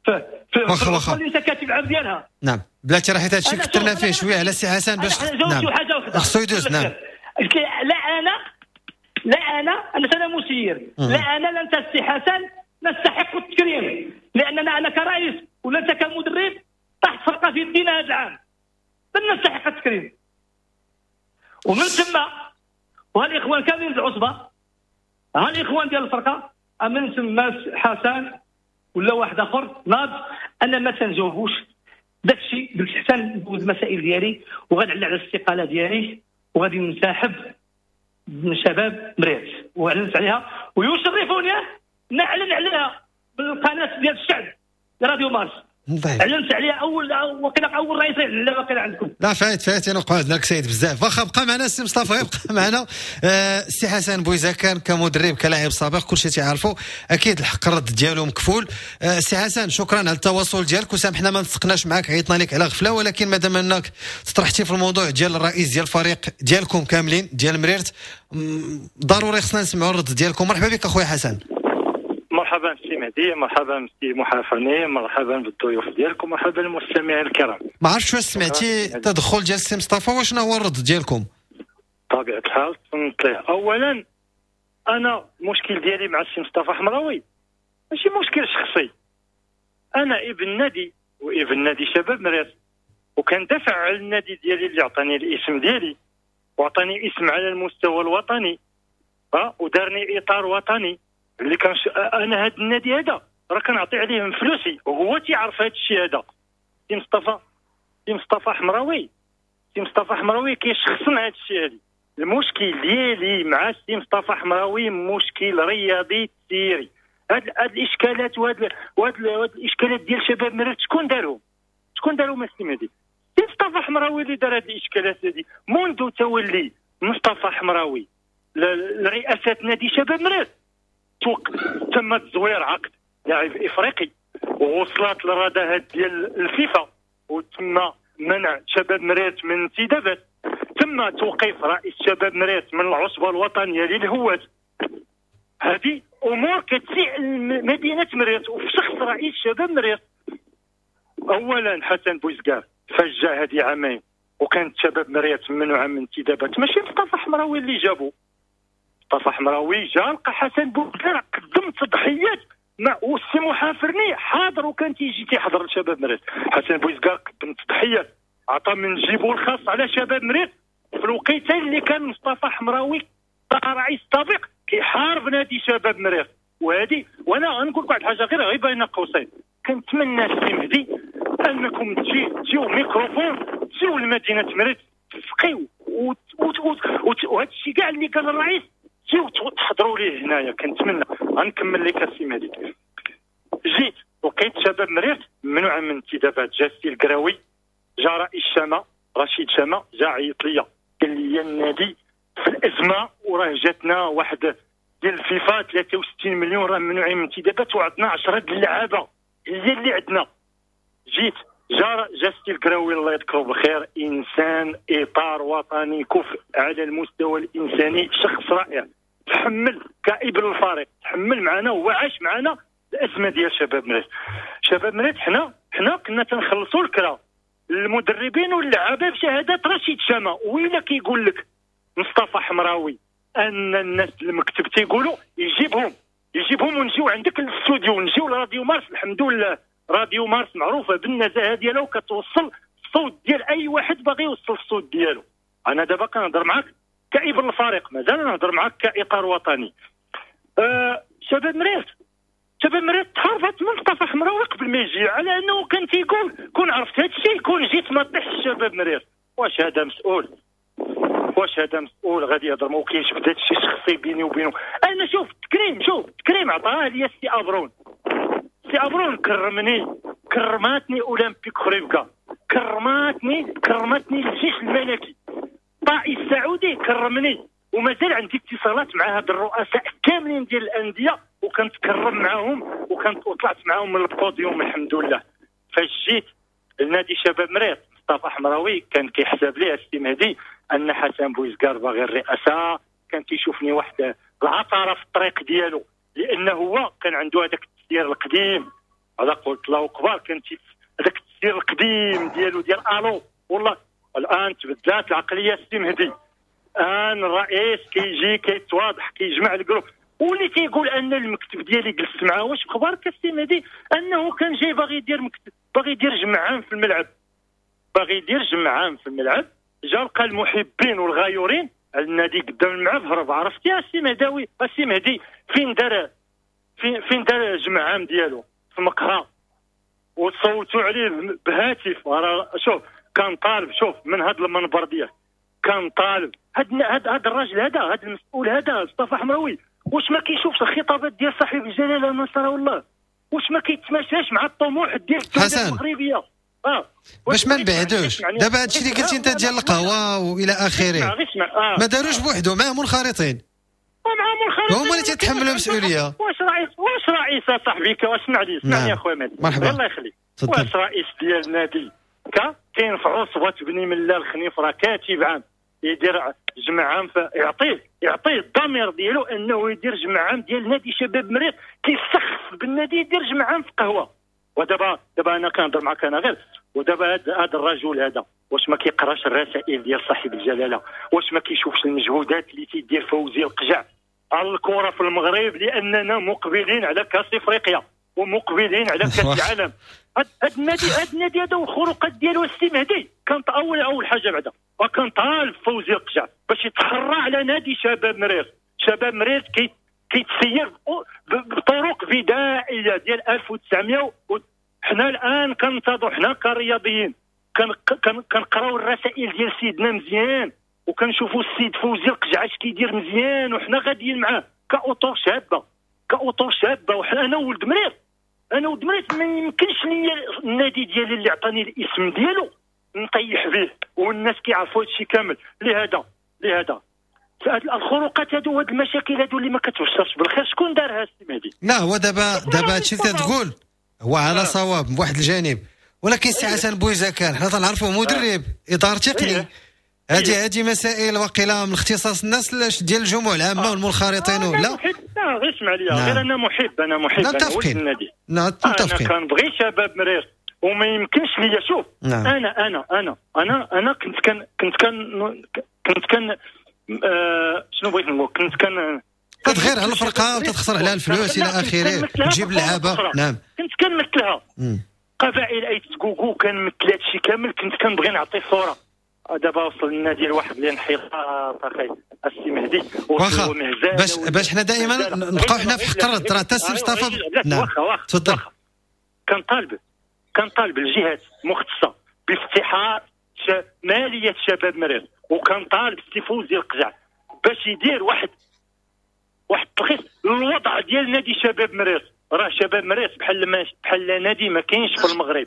في في اللي انت كاتب العام ديالها. نعم بلاتي راه حيت هادشي كثرنا فيه شوية على سي حسن باش نعم خصو يدوز. نعم لا انا لا انا انا انا مسير، لا انا لا انت السي حسن نستحق التكريم، لاننا انا كرئيس ولا انت كمدرب طاحت فرقه في يدينا هذا العام، بل نستحق التكريم. ومن ثم وهالاخوان كاملين العصبة، ها الاخوان ديال الفرقة، من ثم حسن ولا واحد اخر ناض انا ما تنجاوبوش داكشي، قلت حسن ندوز المسائل ديالي وغنعلن على الاستقالة ديالي وغادي ننسحب من شباب مريرت، واعلنت عليها ويشرفوني نعلن عليها بالقناة ديال الشعب راديو مارس. طيب. اعلنت عليها اول وقيلا اول رئيس لا وقيلا عندكم. لا فايت فايت انا وقعدنا لك سيد بزاف. واخا بقى معنا السي مصطفى، يبقى معنا السي حسن بويزكار كمدرب كلاعب سابق كلشي تيعرفوا، اكيد الحق الرد ديالو مكفول. السي حسن شكرا على التواصل ديالك، وسامحنا ما نسقناش معاك، عيطنا لك على غفلة، ولكن مادام انك تطرحتي في الموضوع ديال الرئيس ديال الفريق ديالكم كاملين ديال مريرت، ضروري خصنا نسمعوا الرد ديالكم. مرحبا بك اخويا حسن. مرحبا سي مهدي، مرحبا سي محافرني، مرحبا بالضيوف ديالكم، مرحبا بالمستمعين الكرام. ما عرفتش واش سمعتي التدخل ديال السي مصطفى، وشنو هو الرد ديالكم؟ بطبيعة الحال تنطلع. اولا انا المشكل ديالي مع السي مصطفى حمراوي ماشي مشكل شخصي، انا ابن نادي وابن نادي شباب مريرت، وكندافع على النادي ديالي اللي عطاني الاسم ديالي وعطاني اسم على المستوى الوطني، ها ودارني اطار وطني اللي كان ش... انا هذا النادي هذا راه كنعطي عليه من فلوسي وهو تيعرف هذا الشيء هذا. سي مصطفى سي مصطفى حمراوي سي مصطفى حمراوي كيشخصن هذا الشيء هذا. المشكل ديالي مع سي مصطفى حمراوي مشكل رياضي تسيري. هاد هاد الاشكالات وهاد وهاد الاشكالات ديال شباب مريرت شكون دارهم؟ شكون دارهم السي مهدي؟ سي مصطفى حمراوي اللي دار هاد الاشكالات هادي منذ تولي مصطفى حمراوي لرئاسة نادي شباب مريرت. تم تزوير عقد لاعب افريقي ووصلت للرداهات ديال الفيفا وتم منع شباب مريرت من انتدابات، تم توقيف رئيس شباب مريرت من العصبة الوطنية للهواة. هذه امور كتسيء مدينة مريرت وفي شخص رئيس شباب مريرت. اولا حسن بوزكار فجا هذه عامين وكانت شباب مريرت ممنوعة من انتدابات، ماشي مصطفى حمراوي اللي جابو. مصطفى حمراوي جا لقى حسن بوزكار قدم تضحيات ما والسي محافرني حاضر وكان تيجي تيحضر لشباب مريرت. حسن بويزكار قدم تضحيات، عطى من جيبو الخاص على شباب مريرت في الوقيته اللي كان مصطفى حمراوي رئيس سابق كيحارب نادي شباب مريرت. وهذه وانا غنقول لك واحد الحاجة غير غير بين قوسين، كنتمنى السي مهدي انكم تجي تجيو ميكروفون تجيو لمدينة مريرت تسقيو وهذا الشيء كاع اللي قال الرئيس تجيو تحضروا ليه هنايا. كنتمنى غنكمل لك السي مهدي. جيت لقيت شباب مريرت ممنوع من انتدابات، جا السي الكراوي، جا رئيس شامة رشيد شامة، جا عيط ليا قال لي النادي في الازمة وراه جاتنا واحد ديال الفيفا ثلاثة وستين مليون راه ممنوعين من انتدابات وعندنا عشرة د اللعابه هي اللي عندنا. جيت جا جا السي الكراوي الله يذكره بالخير، انسان اطار وطني كفء على المستوى الانساني، شخص رائع، تحمل كابن الفريق، تحمل معنا وعاش معنا الازمة ديال شباب مريرت. شباب مريرت حنا حنا كنا تنخلصوا الكرا المدربين واللعابه بشهادات رشيد شامة. وإلا كيقول لك مصطفى حمراوي ان الناس المكتب تيقولوا يجيبهم يجيبهم ونجيو عندك للاستوديو ونجيو لراديو مارس. الحمد لله راديو مارس معروفة بالنزاهه ديالها وكتوصل الصوت ديال اي واحد باغي يوصل الصوت ديالو. انا دابا كنهضر معاك كابن الفريق، مازال نهضر معاك كاطار وطني. أه شباب مريرت شباب مريرت تحاربت من مصطفى حمراوي قبل ما يجي، على انه كان تيقول كون عرفت هذا الشيء كون جيت ما طيحش شباب مريرت. واش هذا مسؤول؟ واش هذا مسؤول غادي يهضر؟ ما كاينش بدا شي شخصي بيني وبينه. انا شوف تكريم، شوف تكريم عطاه لي السي ابرون، سي ابرون كرمني، كرماتني اولمبيك خريبكا، كرماتني كرماتني الجيش الملكي، طائي السعودي كرمني، ومازال عندي اتصالات مع هاد الرؤساء كاملين ديال الاندية وكنتكرم معاهم وكنت وطلعت معاهم من البوديوم الحمد لله. فاش جيت لنادي شباب مريرت مصطفى حمراوي كان كيحسب ليه السي مهدي ان حسن بويزكار باغي الرئاسة، كان كيشوفني واحد العطاره في الطريق ديالو، لانه هو كان عنده هذاك التسيير القديم على قلت الله اكبر، كان هذاك التسيير القديم ديالو ديال الو. والله الان تبدلات العقلية السي مهدي، الان الرئيس كيجي كيتواضح كيجمع ال groupe، واللي تيقول ان المكتب ديالي جلست معاه. واش بخبارك السي مهدي انه كان جاي باغي يدير مكتب، باغي يدير جمع عام في الملعب، باغي يدير جمع عام في الملعب، جا لقى المحبين والغيورين على النادي قدام الملعب هرب. عرفتي يا سي مهداوي السي مهدي فين دار فين فين دار جمع عام ديالو؟ في مقهى، وصوتوا عليه بهاتف. شوف كان طالب، شوف من هذا المنبر ديالك كان طالب هاد هاد هاد الراجل هذا، هاد المسؤول هذا مصطفى حمراوي، واش ما كيشوفش الخطابات ديال صاحب الجلاله نصره الله؟ واش ما كيتماشاش مع الطموح ديال الدولة المغربية؟ اه باش ما نبعدوش دابا هادشي اللي قلتي انت ديال القهوة والى اخره، آه. ما داروش بوحدو، معاهم منخرطين، معاهم منخرطين، هما اللي تيتحملوا المسؤولية. واش رئيس واش رئيس صاحبي اسمع لي اسمعني يا خويا مهدي الله يخليك، واش رئيس ديال النادي كا كاين في عصبه بني ملال الخنيف راه كاتب عام يدير جمع عام، يعطيه يعطيه الضمير ديالو انه يدير جمع عام ديال نادي شباب مريرت، كيسخف بالنادي يدير جمع عام في قهوة. ودابا دابا انا كنهضر معاك انا غير، ودابا هذا الرجل هذا واش ما كيقراش الرسائل ديال صاحب الجلاله؟ واش ما كيشوفش المجهودات اللي تيدير فوزي القجع على الكره في المغرب؟ لاننا مقبلين على كاس افريقيا ومقبلين على كاس العالم. هاد النادي هاد النادي هذا والخروقات ديالو السي مهدي كانت اول اول حاجة بعدا، وكان طالب فوزي القجع باش يتحرى على نادي شباب مريرت. شباب مريرت كي كيتسير بطرق بدائية ديال ألف وتسعمية. حنا الان كنتظروا، حنا كرياضيين كنقراو الرسائل ديال سيدنا مزيان، وكنشوفوا السيد فوزي القجع اش كيدير مزيان، وحنا غاديين معاه كاطر شابه، كاطر شابه. وحنا انا ولد مريرت، انا ولد مريرت ما يمكنش ليا النادي ديالي اللي عطاني الاسم ديالو نطيح به، والناس كيعرفوا هادشي كامل. لهذا لهذا الخروقات هادو وهاد المشاكل هادو اللي ما كتبشرش بالخير شكون دارها السي مهدي؟ لا هو دابا دابا هادشي اللي تقول هو على آه. صواب من واحد الجانب، ولكن سي حسن بويزكار حنا تنعرفوه مدرب اطار تقني، هذه هذه مسائل وقيله من اختصاص الناس ديال الجموع العامة والمنخرطين. لا لا غير اسمع لي، غير انا محب، انا محب، انا ولد النادي، نعم متفقين، انا كنبغي شباب مريرت وما يمكنش ليا. شوف نعم. انا انا انا انا انا كنت كان كنت كان كنت كان آه شنو بغيت نقول، كنت كان تتغير على الفرقة وتتخسر عليها الفلوس الى اخره، تجيب اللعابه. نعم كنت كنمثلها قبائل اي تكوكو، كنمثل هادشي كامل، كنت كنبغي نعطي صوره. دابا وصل النادي لواحد الانحطاط اخي السي مهدي. واخا باش باش حنا دائما نبقاو حنا في حق الرد، راه حتى السي مصطفى. نعم تفضل. كنطالب كنطالب الجهات المختصة بافتحاء ماليه شباب مريض، وكنطالب السي فوزي القجع باش يدير واحد واحد التلخيص للوضع ديال نادي شباب مريض. راه شباب مريض بحال ما بحال نادي ما كاينش في المغرب،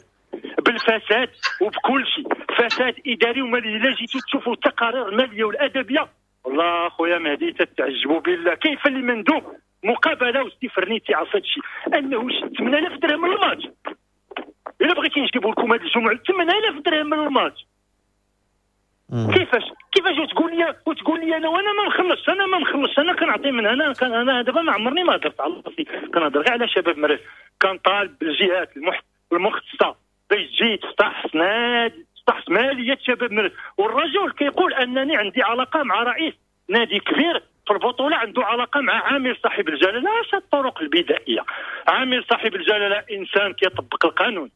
بالفساد وبكل شيء، فساد اداري ومالي. الا جيتو تشوفوا التقارير المالية والادبية، والله خويا مهدي تتعجبوا بالله كيف اللي مندوب مقابله وستي فرنيتي عرف هادشي انه شد ثمانية آلاف درهم من الماتش. الا بغيتي نجيبوا لكم هاد الجمعة ثمانية آلاف درهم من الماتش، كيفاش كيفاش وتقول لي وتقول لي انا وانا ما مخلصش، انا ما مخلصش، انا كنعطي من هنا. كان انا دابا ما عمرني ما هضرت على راسي، كنهضر غير على شباب مريض. كنطالب بالجهات المختصة باش تجي تفتح نادي، تفتح ماليه شباب مريض. والرجل كيقول انني عندي علاقة مع رئيس نادي كبير في البطولة، عنده علاقة مع عامل صاحب الجلاله. اش الطرق البدائية؟ عامل صاحب الجلاله انسان كيطبق القانون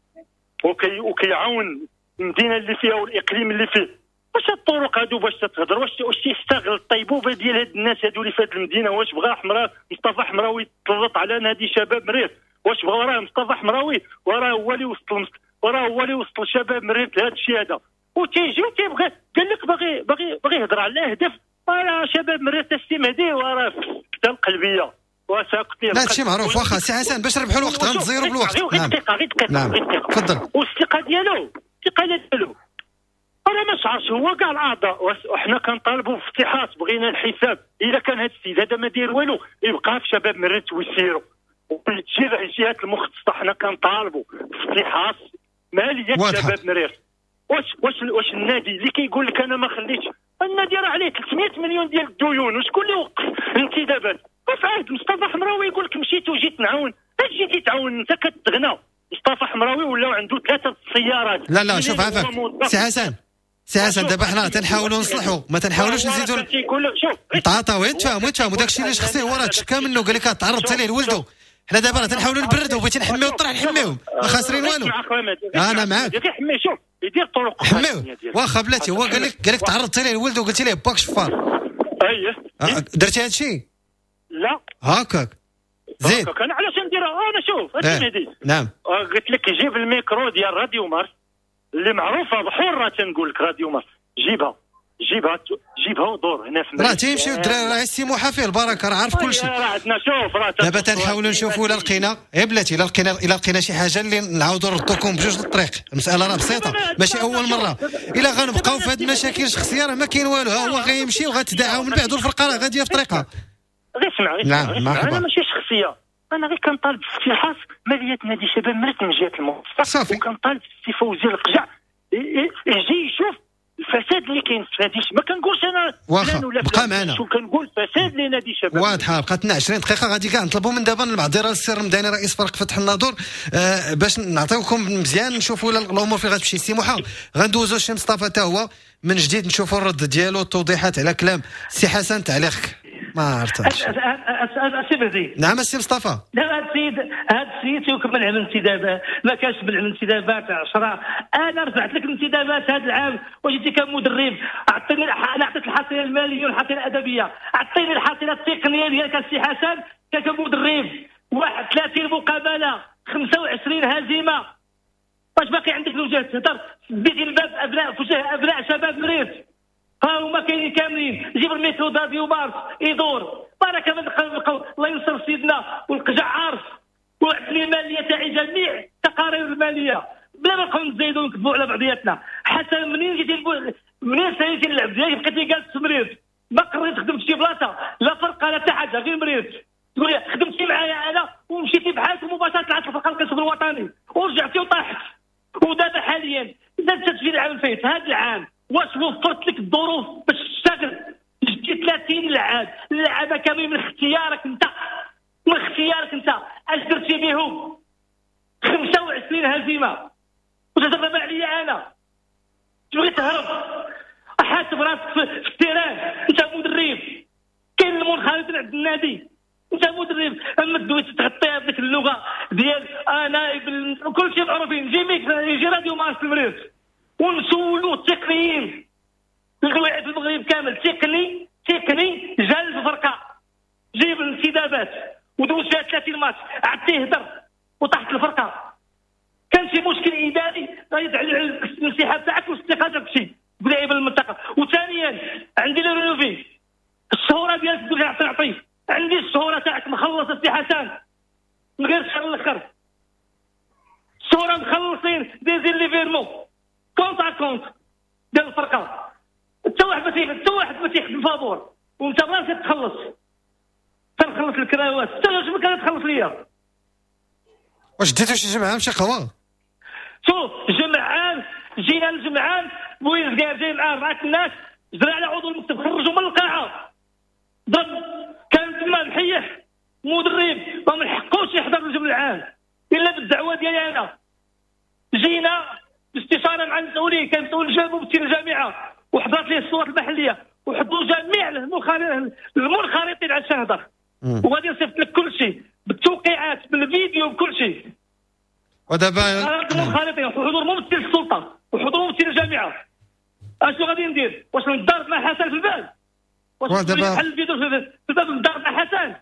وكي وكيعاون المدينة اللي فيها والاقليم اللي فيه. واش الطرق هادو باش تتهضر؟ واش واش تيستغل الطيبوبه ديال هاد الناس هادو اللي في هاد المدينة؟ واش بغا حمراء مصطفى حمراوي يتسلط على نادي شباب مريض؟ واش بغا راه مصطفى حمراوي وراه هو اللي وصل، وراه هو اللي وصل شباب مريض لهذا الشيء هذا. وتيجي وتيبغي قال لك باغي باغي باغي يهضر على الاهداف. راه شباب مريض السي مهدي وراه في القلبية وساقط. لا هادشي معروف. واخا سي حسن باش نربحوا الوقت غنتزيروا بالوقت. غير دقيقة غير دقيقة. نعم تفضل. والثقة ديالو الثقة ديالو انا ما شعرش هو كاع الاعضاء. وحنا كنطالبوا بافتحاص، بغينا الحساب. اذا كان هذا السيد هذا ما داير والو يبقى في شباب مريت ويسيروا وتجي الجهات المختصة. حنا كنطالبوا بافتحاص ماليه شباب مريت. واش واش واش النادي اللي كيقول لك انا ما خليتش النادي راه عليه ثلاثمية مليون ديال الديون، وشكون اللي وقف الانتدابات؟ وفي عهد مصطفى حمراوي يقول لك مشيت وجيت نعاون. اش جيتي تعاون؟ انت كتغنى. مصطفى حمراوي ولاو عنده ثلاثة السيارات. لا لا شوف عافاك سي حسن، سي حسن دابا حنا تنحاولوا نصلحوا، ما تنحاولوش نزيدوا. تعاطاو يتفاهموا يتفاهموا داكشي اللي شخصي هو راه تشكى منه، قال لك تعرضت عليه لولده. حنا دابا راه تنحاولوا نبردوا، بغيتي نحميو الطرح نحميوهم، ما خاسرين والو. انا معاك. شوف يدير طرق حميوه. واخا بلاتي هو قال لك قال لك تعرضت عليه لولده وقلت ليه باك شفار. اييه درتي هادشي؟ لا هكاك زيد. انا علاش نديرها؟ انا شوف هادشي مهدي. نعم قلت لك جيب الميكرو ديال راديو مارس اللي معروفة بحره، تنقول لك راديو مارس جيبها جيبها جيبها ودور هنا في راه تيمشيو الدراري، راه السي موحى فيه البركة، راه عارف كل شيء. راه عندنا شوف راه دابا تنحاولوا نشوفوا الا لقينا غير بلاتي، الا لقينا الا لقينا شي حاجة اللي نعاودوا نردوكم بجوج للطريق. المسالة راه بسيطة ماشي اول مرة. الا غنبقاو في هاد المشاكل الشخصية راه ما كاين والو. ها هو غيمشي وغتداعاو من بعد والفرقة راه غادية في طريقها. غير اسمع غير اسمع، انا ماشي شخصية، انا غير كنطالب بافتحاص ماليه نادي شباب مريت من جهة المؤسسة، وكنطالب السي فوزي القجع يجي يشوف الفساد اللي كاين في نادي. ما كنقولش انا واخا بقى معنا، شو كنقول فساد لنادي شباب. واضحة بقات لنا عشرين دقيقة، غادي كاع نطلبوا من دابا المعذره للسي رمضاني رئيس فريق فتح الناظور آه باش نعطيوكم مزيان نشوفوا الامور فين غتمشي. سي موحى غندوزو الشي مصطفى حتى هو من جديد نشوفوا الرد ديالو التوضيحات على كلام سي حسن. تعليقك ما عرفتش. السي مهدي. نعم السي مصطفى. لا هذا السيد هذا السيد تيكمل على الانتدابات، ما كانش من الانتدابات عشرة. انا رفعت لك الانتدابات هذا العام وجيتي كمدرب، اعطيني انا عطيت الحصيلة المالية والحصيله الادبية، اعطيني الحصيلة التقنية ديالك السي حسن كمدرب. واحد وثلاثين مقابله، خمسة وعشرين هزيمة، واش باقي عندك الوجه تهضر؟ سديتي الباب ابناء في وجه ابناء شباب مريض، ها هما كاينين كاملين. جيب الميكرو داديو مارس يدور بركة من القول. الله ينصر سيدنا والقجع عارف وعطني المالية تاعي جميع التقارير المالية بلا ما نبقاو نزيدو ونكذبوا على بعضياتنا. حتى منين جيتي منين ساليتي اللعب ديالك بقيتي جالس مريض، ما قريت خدمت شي بلاصة لا فرقه لا حتى حاجة غير مريض. تقول لي خدمتي معايا انا ومشيتي بحالك مباشرة طلعت الفرقة القسم الوطني ورجعتي وطاحت. ودابا حاليا زاد تسجيل العام الفايت هذا العام واش وفرت لك الظروف باش تشتغل؟ جبتي ثلاثين لعاب، اللعابه كاملين من اختيارك انت، من اختيارك انت، اش درتي بهم؟ خمسة وعشرين هزيمة وتتغلب عليا انا، تبغي تهرب؟ حاسب راسك في ال terrain، انت مدرب، كاين المنخرطين عند النادي، انت مدرب اما دوي تغطيها بديك اللغة ديال انا كل شيء معروفين. يجي يجي راديو مارس المريض ونسولوا التقنيين القواعد في المغرب كامل، تقني تقني جا الفرقة جيب الانتدابات ودوز فيها ثلاثين ماتش عطية هدر وطاحت الفرقة. كان شي مشكل اداري غيدعي على الانسحاب تاعك والاستقاله داكشي بلاعب المنطقة. وثانيا عندي le relevé الشهوره ديالك تقول عطي عطي، عندي الشهوره تاعك مخلصة سي حسن من غير الشهر الاخر، الشهوره مخلصين دايزين les virements compte à compte ديال الفرقة. حتى واحد ما تيخدم، حتى واحد ما تيخدم فابور، وانت براسك تخلص، تنخلص الكراوات حتى واش ما كان تخلص ليا. واش ديتو شي جمعه مشي قهوة؟ شوف جمعان جينا للجمعان بويزكار جاي معاه اربعة الناس، جرى على عضو المكتب خرجوا من القاعة، ضرب كان تما محيح مدرب ما من حقوش يحضر الجمع العام الا بالدعوة ديالي انا. جينا باستشاره مع المسؤولين، كان مسؤول جابوا ممثل الجامعة وحضرت ليه السلطات المحلية وحضروا جميع المنخرطين على الشهادة، وغادي نصيفط لك كل شيء بالتوقيعات بالفيديو بكل شيء. ودابا المنخرطين وحضور ممثل السلطة وحضور ممثل الجامعة. اشنو غادي ندير؟ واش نضارب مع حسن في الباب؟ واش نحل الفيديو في الباب نضارب مع حسن؟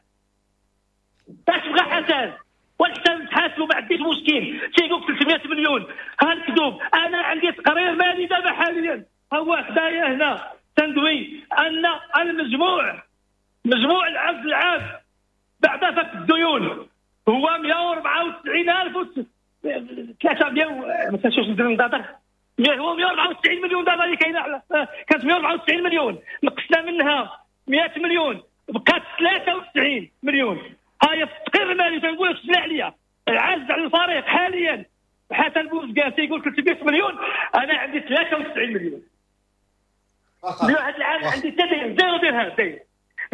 اش بغى حسن؟ والحسن تحاسبوا ما عنديش مشكل، تيقول ثلاثمية مليون ها الكذوب. انا عندي تقرير مالي دابا حاليا هو حدايا هنا تندوي ان المجموع مجموع العجز العام بعد فك الديون هو مية وأربعة وتسعين ألف و ثلاثمية ما تنساوش ندير نضادر، هو مية وأربعة وتسعين مليون دابا اللي كاينه، كانت مية وأربعة وتسعين مليون نقصنا منها مية مليون بقات ثلاثة وتسعين مليون. هاي في التقرير المالي تنقول لك سمع عليا العجز على الفريق حاليا حسن بوزكار تيقول ثلاثمية مليون، انا عندي ثلاثة وتسعين مليون. هذا العام عندي حتى zéro درهم داير.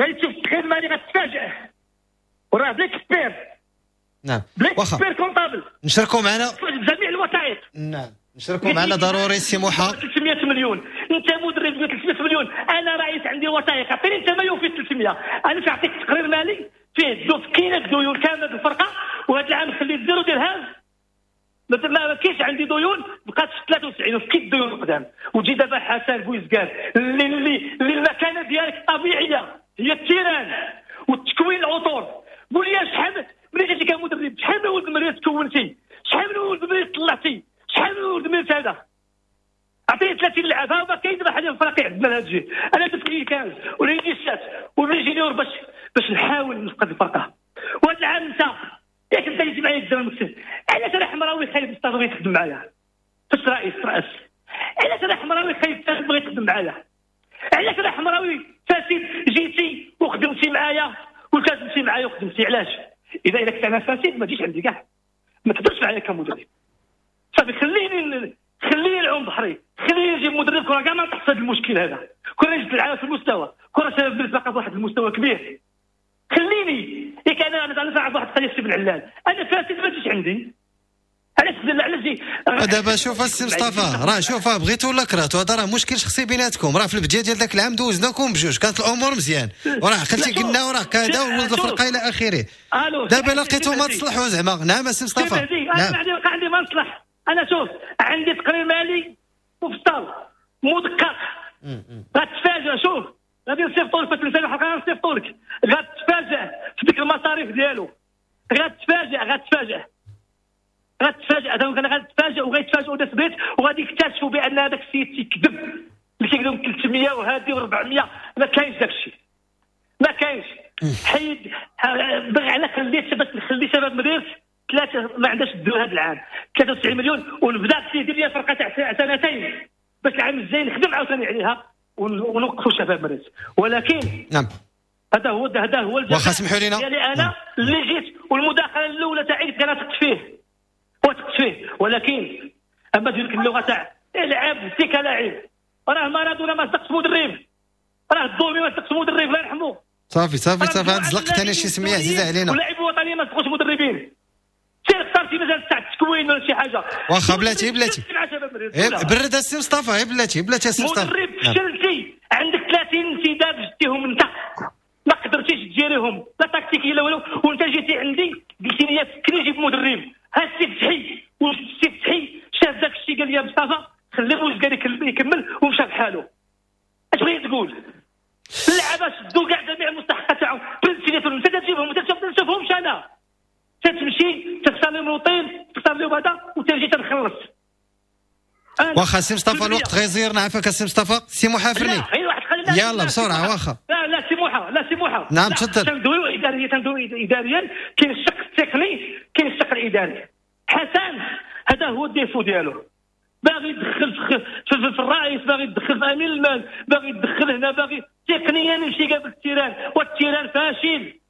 غادي تشوف التقرير المالي غتفاجئ وراه ب l'expert. نعم ب l'expert comptable نشاركوا معنا جميع الوثائق. نعم نشاركوا معنا ضروري سي موحى. ثلاثمية مليون انت مدرب ثلاثمية مليون، انا رئيس عندي وثائق، عطيني انت ما يوفي ثلاثمية، انا نعطيك تقرير مالي فيه دوف كاينه ديون كاملة الفرقة، وهذا العام خليت zéro درهم ما كاينش عندي ديون، بقات في ثلاثة وتسعين وفكيت الديون القدام. وتجي دابا حسن بويزكار اللي اللي اللي المكانة ديالك الطبيعية هي ال terrain والتكوين العطور. قول لي شحال ملي جيتي كمدرب شحال من ولد مريض تكونتي، شحال من ولد مريض طلعتي، شحال من ولد مريض هذا؟ عطيني ثلاثين لعاب. ها ما كاين دابا حاليا الفرق عندنا لهاد الجهة. انا درت les quinze و les dix-sept و les juniors باش باش نحاول نفقد الفرقة. وهذا العام انت ياك انت اللي معايا قدام المكتب، علاش انا حمراوي خايب مصطفى بغيت تخدم معايا فاش رئيس رئيس؟ علاش انا حمراوي خايب بغيت تخدم معايا؟ علاش انا حمراوي فاسد جيتي وخدمتي معايا والتزمتي معايا وخدمتي؟ علاش؟ اذا الا كنت انا فاسد ما تجيش عندي كاع، ما تهضرش معايا كمدرب. صافي خليني خليني نعوم بحري، خليني نجيب مدرب كره كاع ما نطيح في هذا المشكل هذا، كره جبت العالم في المستوى، كره شباب بلاد في واحد المستوى كبير. خليني ياك انا انا نعرف واحد القضية سي بن علال، انا فاسد ما تجيش عندي. علاش علاش جي دابا؟ شوف السي مصطفى راه شوف بغيتو ولا كرهتو هذا راه مشكل شخصي بيناتكم. راه في البداية ديال ذاك العام دوزناكم بجوج كانت الامور مزيان وراه عقلتي قلنا وراه كذا وولد الفرقة الى اخره. دابا لقيتو ما تصلحوا زعما. نعم السي مصطفى. انا عندي عندي ما نصلح. انا شوف عندي تقرير مالي مفصل مدقق غتفاجئ. شوف غادي نصيفطو لك في الحلقة، غنصيفطو لك غتفاجئ في ديك المصاريف ديالو، غتفاجئ غتفاجئ غتفاجئ انا غتفاجئ وغيتفاجئوا ناس بيت وغادي يكتشفوا بان هذاك السيد تيكذب اللي كيقول ثلاثمية وهذه وأربعمية. ما كاينش داك الشيء، ما كاينش. حيد بغي على خليت باش نخلي شباب مدير ثلاثة ما عندهاش الديون هذا العام ثلاثة وتسعين مليون ونبدا سيدي لي فرقه تاع سنتين باش العام الجاي نخدم عاوتاني عليها ونوقفوا شباب مريض. ولكن نعم هذا هو هذا هو واخا سمحوا لينا ديالي انا. نعم. اللي جيت والمداخله الاولى تاعي كانت ثقت فيه وثقت فيه، ولكن اما ديك اللغة تاع العب انت كلاعب راه مارادونا ما صدقش مدرب، راه الظلمي ما صدقش مدرب الله يرحمه. صافي صافي صافي عاد زلقت انا شي سميه عزيزه علينا. ولاعب الوطني ما صدقوش مدربين. سير اختار شي مجال تاع التكوين ولا شي حاجة. واخا بلاتي بلاتي برد السي مصطفى، بلاتي بلاتي السي مصطفى. مدرب فشلتي عندك ثلاثين انتداب جبتيهم انت ما قدرتيش تجيريهم، لا تكتيكية لا والو. وانت جيتي عندي قلتي لي فكري جيب مدرب، ها السي فتحي، والسي فتحي شاف داك الشيء قال لي مصطفى خليه بوزكار يكمل ومشى بحالو. اش بغيت تقول؟ اللعابه شدوا كاع جميع المستحقات تاعهم بالتليفون، انت تجيبهم انت ما تشوفهمش. انا تتمشي تختار لهم l'hôtel، تختار لهم هذا وتجي تنخلص. واخا سي مصطفى الوقت غيزيرنا، عافاك سي مصطفى. سي موحى فرني يلا بسرعة. واخا لا لا سي موحى، لا سي موحى. نعم تفضل. تندويو اداريا، تندويو اداريا، كاين الشق التقني كاين الشق الاداري. حسن هذا هو ال défaut ديالو، باغي يدخل في, في, في الرئيس، باغي يدخل في امين المال، باغي يدخل هنا، باغي تقنيا يمشي قبل ال terrain، وال terrain فاشل.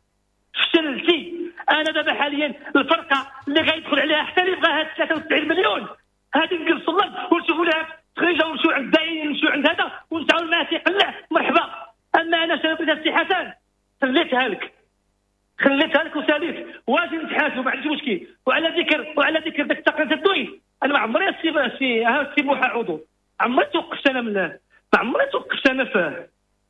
فشلتي. انا دابا حاليا الفرقة اللي غيدخل عليها حتى اللي بغاها ثلاثة وتسعين مليون هذه نجلسوا الارض ونشوفوا لها تخريجه ونمشيو عند الداعيين ونمشيو عند هذا ونتعاون معاه تيقلع مرحبا. اما انا شنو سي حسن خليتها لك، خليتها لك وساليت، واجي نتحاسب ما عنديش مشكل. وعلى ذكر وعلى ذكر داك التقرير الدوي، انا ما عمري السي سي السي موحى عضو عمري توقفت انا من ما عمري توقفت انا في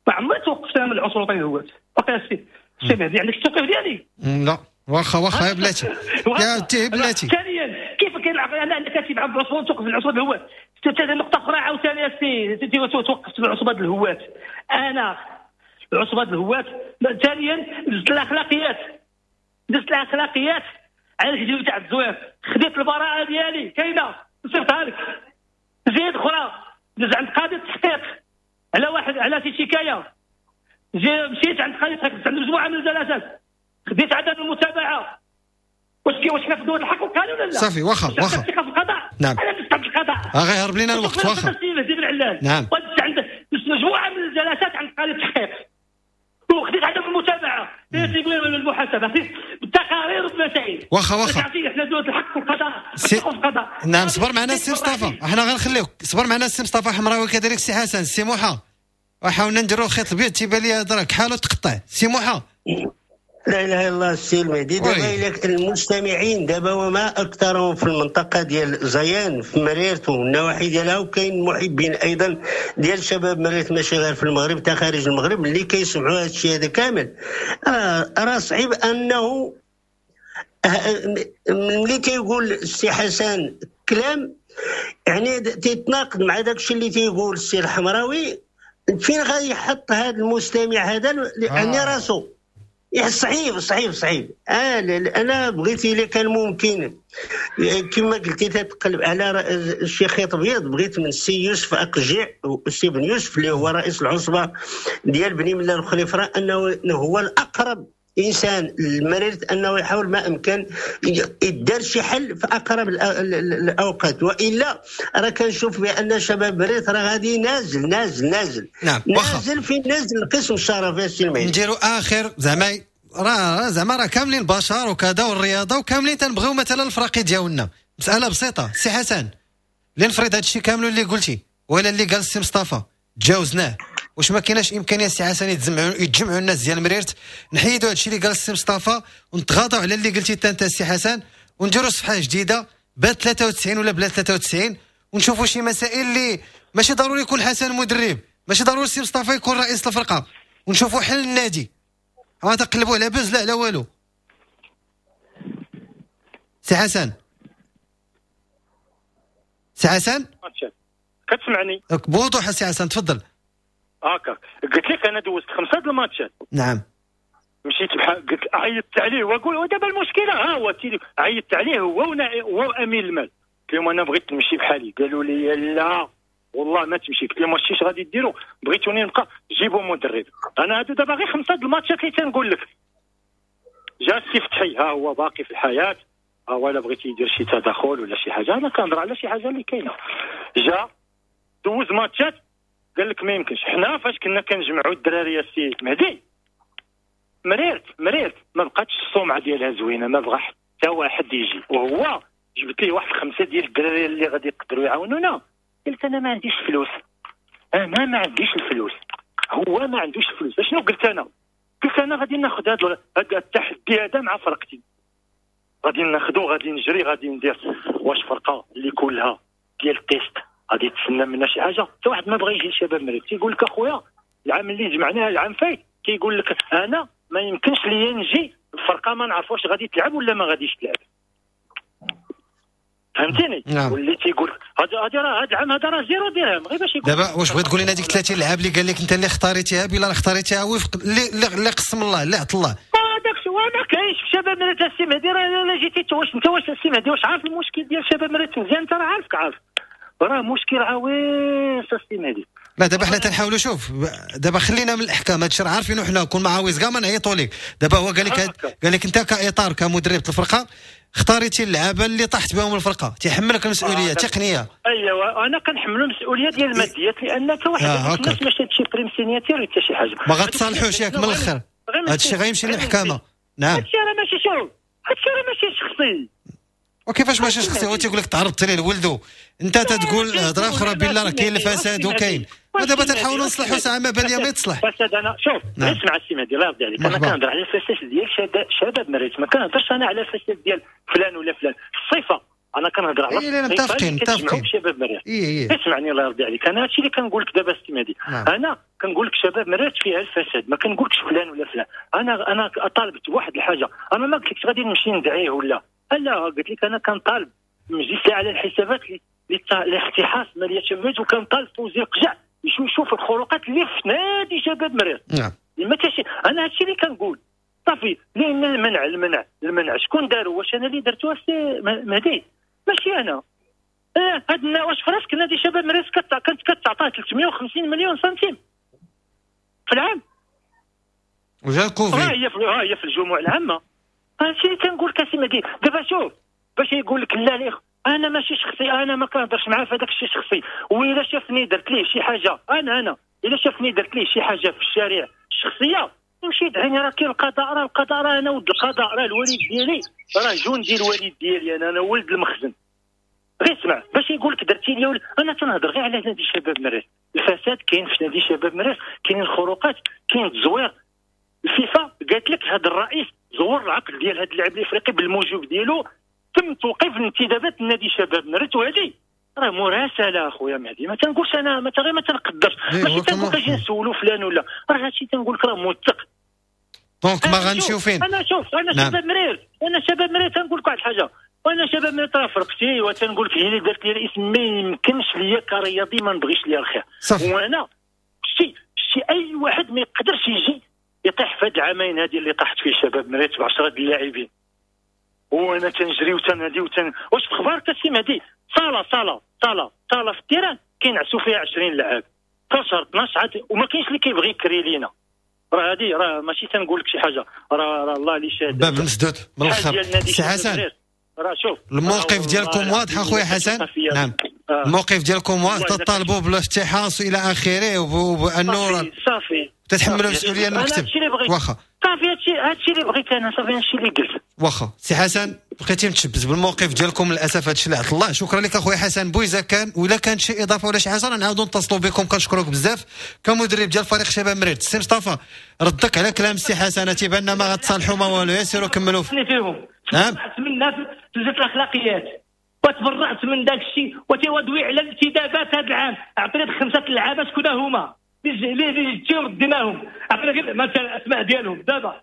ما عمري توقفت انا من العنصر الوطني الهوات. باقي السي السي مهدي عندك التوقيف ديالي؟ لا واخا واخا يا بلاتي يا تي بلاتي. ثانيا كيف كاين انا عندك كاتب عبد العصبة توقف العصبة الهوات. نقطة اخرى عاوتاني السي توقفت العصبة الهوات. انا العصبة الهوات. ثانيا دزت الاخلاقيات، دزت الاخلاقيات على الفيديو تاع الزوير، خديت البراءة ديالي كاينه نصيفطها لك. زيد اخرى دز عند قاضي التحقيق على واحد على شي شكاية، مشيت عند قاضي التحقيق عند مجموعة من الجلسات، خديت عدم المتابعة. واش واش حنا في دول الحق والقانون ولا لا؟ صافي واخا واخا في القضاء. نعم انا دزت عند القضاء غيهرب لينا الوقت. واخا نعم ودزت عند مجموعة من الجلسات عند قاضي التحقيق وخديت عدم المتابعة تيقول المحاسبة بالتقارير والمسائل. واخا واخا حنا دول الحق والقضاء سي... نعم صبر معنا السي مصطفى، احنا غنخليوك صبر معنا السي مصطفى حمراوي كذلك السي حسن السي موحى. وحاولنا نديروا الخيط الابيض تيبان لي هذا راه حاله تقطع. سي موحى لا اله الا الله السي المهدي. دابا الى المستمعين دابا وما اكثرهم في المنطقة ديال زيان في مريرت والنواحي ديالها، وكاين محبين ايضا ديال شباب مريرت ماشي غير في المغرب حتى خارج المغرب اللي كيسمعوا هذا الشيء هذا كامل. راه صعيب انه ملي كيقول السي حسن كلام يعني تيتناقض مع داك الشيء اللي تيقول السي الحمراوي، فين غادي يحط هذا المستمع هذا يعني راسو؟ صعيب صعيب صعيب. آه انا بغيت الا كان ممكن كما قلتي تتقلب على شي خيط ابيض، بغيت من السي يوسف اقجع السي بن يوسف اللي هو رئيس العصبة ديال بني ملال الخليفره انه هو الاقرب انسان للمريض، انه يحاول ما امكن يدار شي حل في اقرب الاوقات، والا راه كنشوف بان شباب مريض راه غادي نازل نازل نازل. نعم نازل في نازل القسم الشرفي السي المهدي. نديروا اخر زعما راه زعما راه كاملين بشر وكذا والرياضة وكاملين تنبغيو مثلا الفراقي ديالنا. مسالة بسيطة سي حسن، اللي نفرض هذا الشيء كامل اللي قلتي ولا اللي قال السي مصطفى تجاوزناه، واش ما كايناش امكانية سي حسن يتجمعوا يتجمعوا الناس ديال مريرت نحيدوا هادشي اللي قال السي مصطفى ونتغاضوا على اللي قلتي انت السي حسن ونديروا صفحة جديدة بلا ثلاثة وتسعين ولا بلا ثلاثة وتسعين ونشوفوا شي مسائل اللي ماشي ضروري يكون حسن مدرب، ماشي ضروري السي مصطفى يكون رئيس الفرقة، ونشوفوا حل النادي. ما تقلبوا على بز لا على والو. سي حسن سي حسن كتسمعني بوضوح سي حسن تفضل. هكا قلت لك انا دوزت خمسة د الماتشات. نعم مشيت بحال قلت عيطت عليه واقول ودابا المشكلة ها هو عيطت عليه هو هو امين المال، قلت لهم انا بغيت نمشي بحالي، قالوا لي لا والله ما تمشي. قلت لهم واش غادي ديروا؟ بغيتوني نبقى جيبوا مدرب. انا هادو دابا غير خمسة د الماتشات اللي تنقول لك. جا السي فتحي ها هو باقي في الحياة، ها هو الا بغيتي يدير شي تدخل ولا شي حاجة، انا كنهضر على شي حاجة اللي كاينه. جا دوز ماتشات قال لك ما يمكنش. حنا فاش كنا كنجمعوا الدراري السي مهدي مريرت مريرت ما بقاتش السمعة ديالها زوينة، ما بغى حتى واحد يجي، وهو جبت ليه واحد خمسة ديال الدراري اللي غادي يقدروا يعاونونا. قلت انا ما عنديش فلوس، انا ما عنديش الفلوس، هو ما عندوش الفلوس. شنو قلت انا؟ قلت انا غادي ناخذ هذا التحدي هذا مع فرقتي، غادي ناخذو، غادي نجري، غادي ندير. واش فرقه اللي كلها ديال ال test غادي تسنى منا شي حاجة؟ حتى واحد ما بغى يجي لشباب مريض. تيقول لك اخويا العام اللي جمعناه العام فايت كيقول لك انا ما يمكنش ليا نجي الفرقة ما نعرفوش غادي تلعب ولا ما غاديش تلعب. فهمتيني؟ نعم. واللي تيقول هذا هذا راه هذا العام هذا راه zéro درهم غير باش يقول. دابا واش بغيت تقول لنا ديك ثلاثين لعاب اللي قال لك انت اللي اختاريتيها بلا اختاريتيها وفق اللي اللي قسم الله اللي عطى الله. هذاك شو ما كاينش في شباب مريرت السي مهدي. راه لا جيتي واش انت واش السي مهدي واش عارف المشكل ديال شباب مريرت مزيان؟ انت راه عارفك عارف راه مشكل عويص السي مهدي. لا دابا حنا تنحاولوا، شوف دابا خلينا من الاحكام، هادشي راه عارفينو حنا، كون مع عاوز كاع ما نعيطوا لك. دابا هو قال لك قال لك انت كاطار كمدرب الفرقة اختاريتي اللعابه اللي طاحت بهم الفرقة، تيحملك المسؤولية التقنية. ايوا انا كنحملو المسؤولية ديال الماديات، لان حتى واحد آه الناس ماشي هادشي prime signature حتى شي حاجة. ما غتصالحوش ياك من الاخر، هادشي غيمشي للمحكمة. نعم هادشي راه ماشي شوف، هادشي راه ماشي شخصي. وكيفاش ماشي شخصي؟ هو تيقول لك تعرضت ليه لولدو، انت تتقول هضره اخرى بالله راه كاين الفساد وكاين، ودابا تنحاولوا نصلحوا ساعة ما بان لي ما يتصلح. فساد انا شوف نعم. اسمع السي مهدي الله يرضي عليك، انا كنهضر على الفساد ديال شباب مريرت، ما كنهضرش انا على الفساد ديال فلان ولا فلان. الصفة انا كنهضر على إيه لا متفقين متفقين شباب مريرت. إيه إيه. اسمعني الله يرضي عليك، انا هادشي اللي كنقول لك دابا السي مهدي. نعم. انا كنقول لك شباب مريرت فيها الفساد، ما كنقولكش فلان ولا فلان. انا انا طالبت واحد الحاجة، انا ما قلتلكش غادي نمشي ندعيه ولا لا، قلت لك انا كنطالب المجلس على الحسابات لاختحاص ماليه شباب مريرت، وكنطالب فوزي القجع يشوف الخروقات اللي في نادي شباب مريرت. نعم. ما تاشي انا هادشي اللي كنقول صافي. لان المنع المنع المنع شكون دارو؟ واش انا اللي درتو السي مهدي؟ ماشي انا. اه هاد واش في راسك نادي شباب مريرت كانت كتعطاه ثلاثمية وخمسين مليون سنتيم في العام، وجا الكوفيد ها هي في ها هي في الجموع العامة. هادشي اللي تنقول لك السي مهدي. دابا شوف باش يقول لك لا لا انا ماشي شخصي، انا ما كنهضرش معاه في هذاك الشيء شخصي، وإلا شافني درت ليه شي حاجة انا انا الا شافني درت ليه شي حاجة في الشارع الشخصية يمشي يدعيني، راه كاين القضاء، راه القضاء، راه انا ولد القضاء، راه الوالد ديالي راه جندي الوالد ديالي، انا انا ولد المخزن. غير اسمع باش يقول لك درتي لي، انا تنهضر غير على نادي شباب مريرت. الفساد كاين في نادي شباب مريرت، كاين الخروقات، كاين التزوير. الفيفا قالت لك هذا الرئيس زور العقد ديال هذا اللاعب الافريقي بالموجب ديالو، تم توقيف الانتدابات النادي شباب مريرت. وهذه راه مراسله اخويا مهدي، ما تنقولش انا ما غير ما تنقدرش، ماشي تنقول اجي نسولو فلان ولا، راه هادشي تنقول لك راه موثق. donc ما غنمشيو فين؟ انا شوف انا نعم. شباب مريرت، انا شباب مريرت تنقول لك واحد الحاجة، وانا شباب مريرت راه فرقتي، وتنقول لك هي اللي دارت لي الاسم، ما يمكنش ليا كرياضي ما نبغيش ليا الخير. وانا شتي شتي اي واحد ما يقدرش يجي يطيح في هاد العامين هادي اللي طاحت فيه شباب مريرت بعشرة د اللاعبين، وانا تنجري وتنادي وتن واش في خبارك السي مهدي؟ صاله صاله صاله صاله في ال terrain كينعسوا فيها عشرين لاعب اثنا عشر اثنا عشر، وما كاينش اللي كيبغي يكري لينا. راه هادي راه ماشي تنقول لك شي حاجة، راه راه الله اللي شاهد. باب مسدود من الاخر سي حسن. راه شوف الموقف ديالكم واضح اخويا حسن. نعم آه. الموقف ديالكم واضح، تطالبوا بالافتحاص الى اخره، وبانه صافي صافي تتحملوا المسؤولية المكتب. واخا صافي هادشي هادشي اللي بغيت انا، صافي هادشي اللي قلت. واخا سي حسن بقيتي متشبت بالموقف ديالكم للاسف هادشي اللي عطى الله. شكرا لك اخويا حسن بويزا. كان ولا كانت شي اضافه ولا شي حاجة نعاودوا نتصلوا بكم. كنشكرك بزاف كمدرب ديال فريق شباب مريرت. سي مصطفى ردك على كلام سي حسن، تيبان ما غتصالحوا ما والو، يسيروا كملوا فيهم. نعم من في الاخلاقيات وتبرعت من داك الشيء وتيودوي على الانتدابات هذا العام. عطيني خمسة اللعابه شكون هما اللي جيو رديناهم، عطينا غير مثلا الاسماء ديالهم دابا.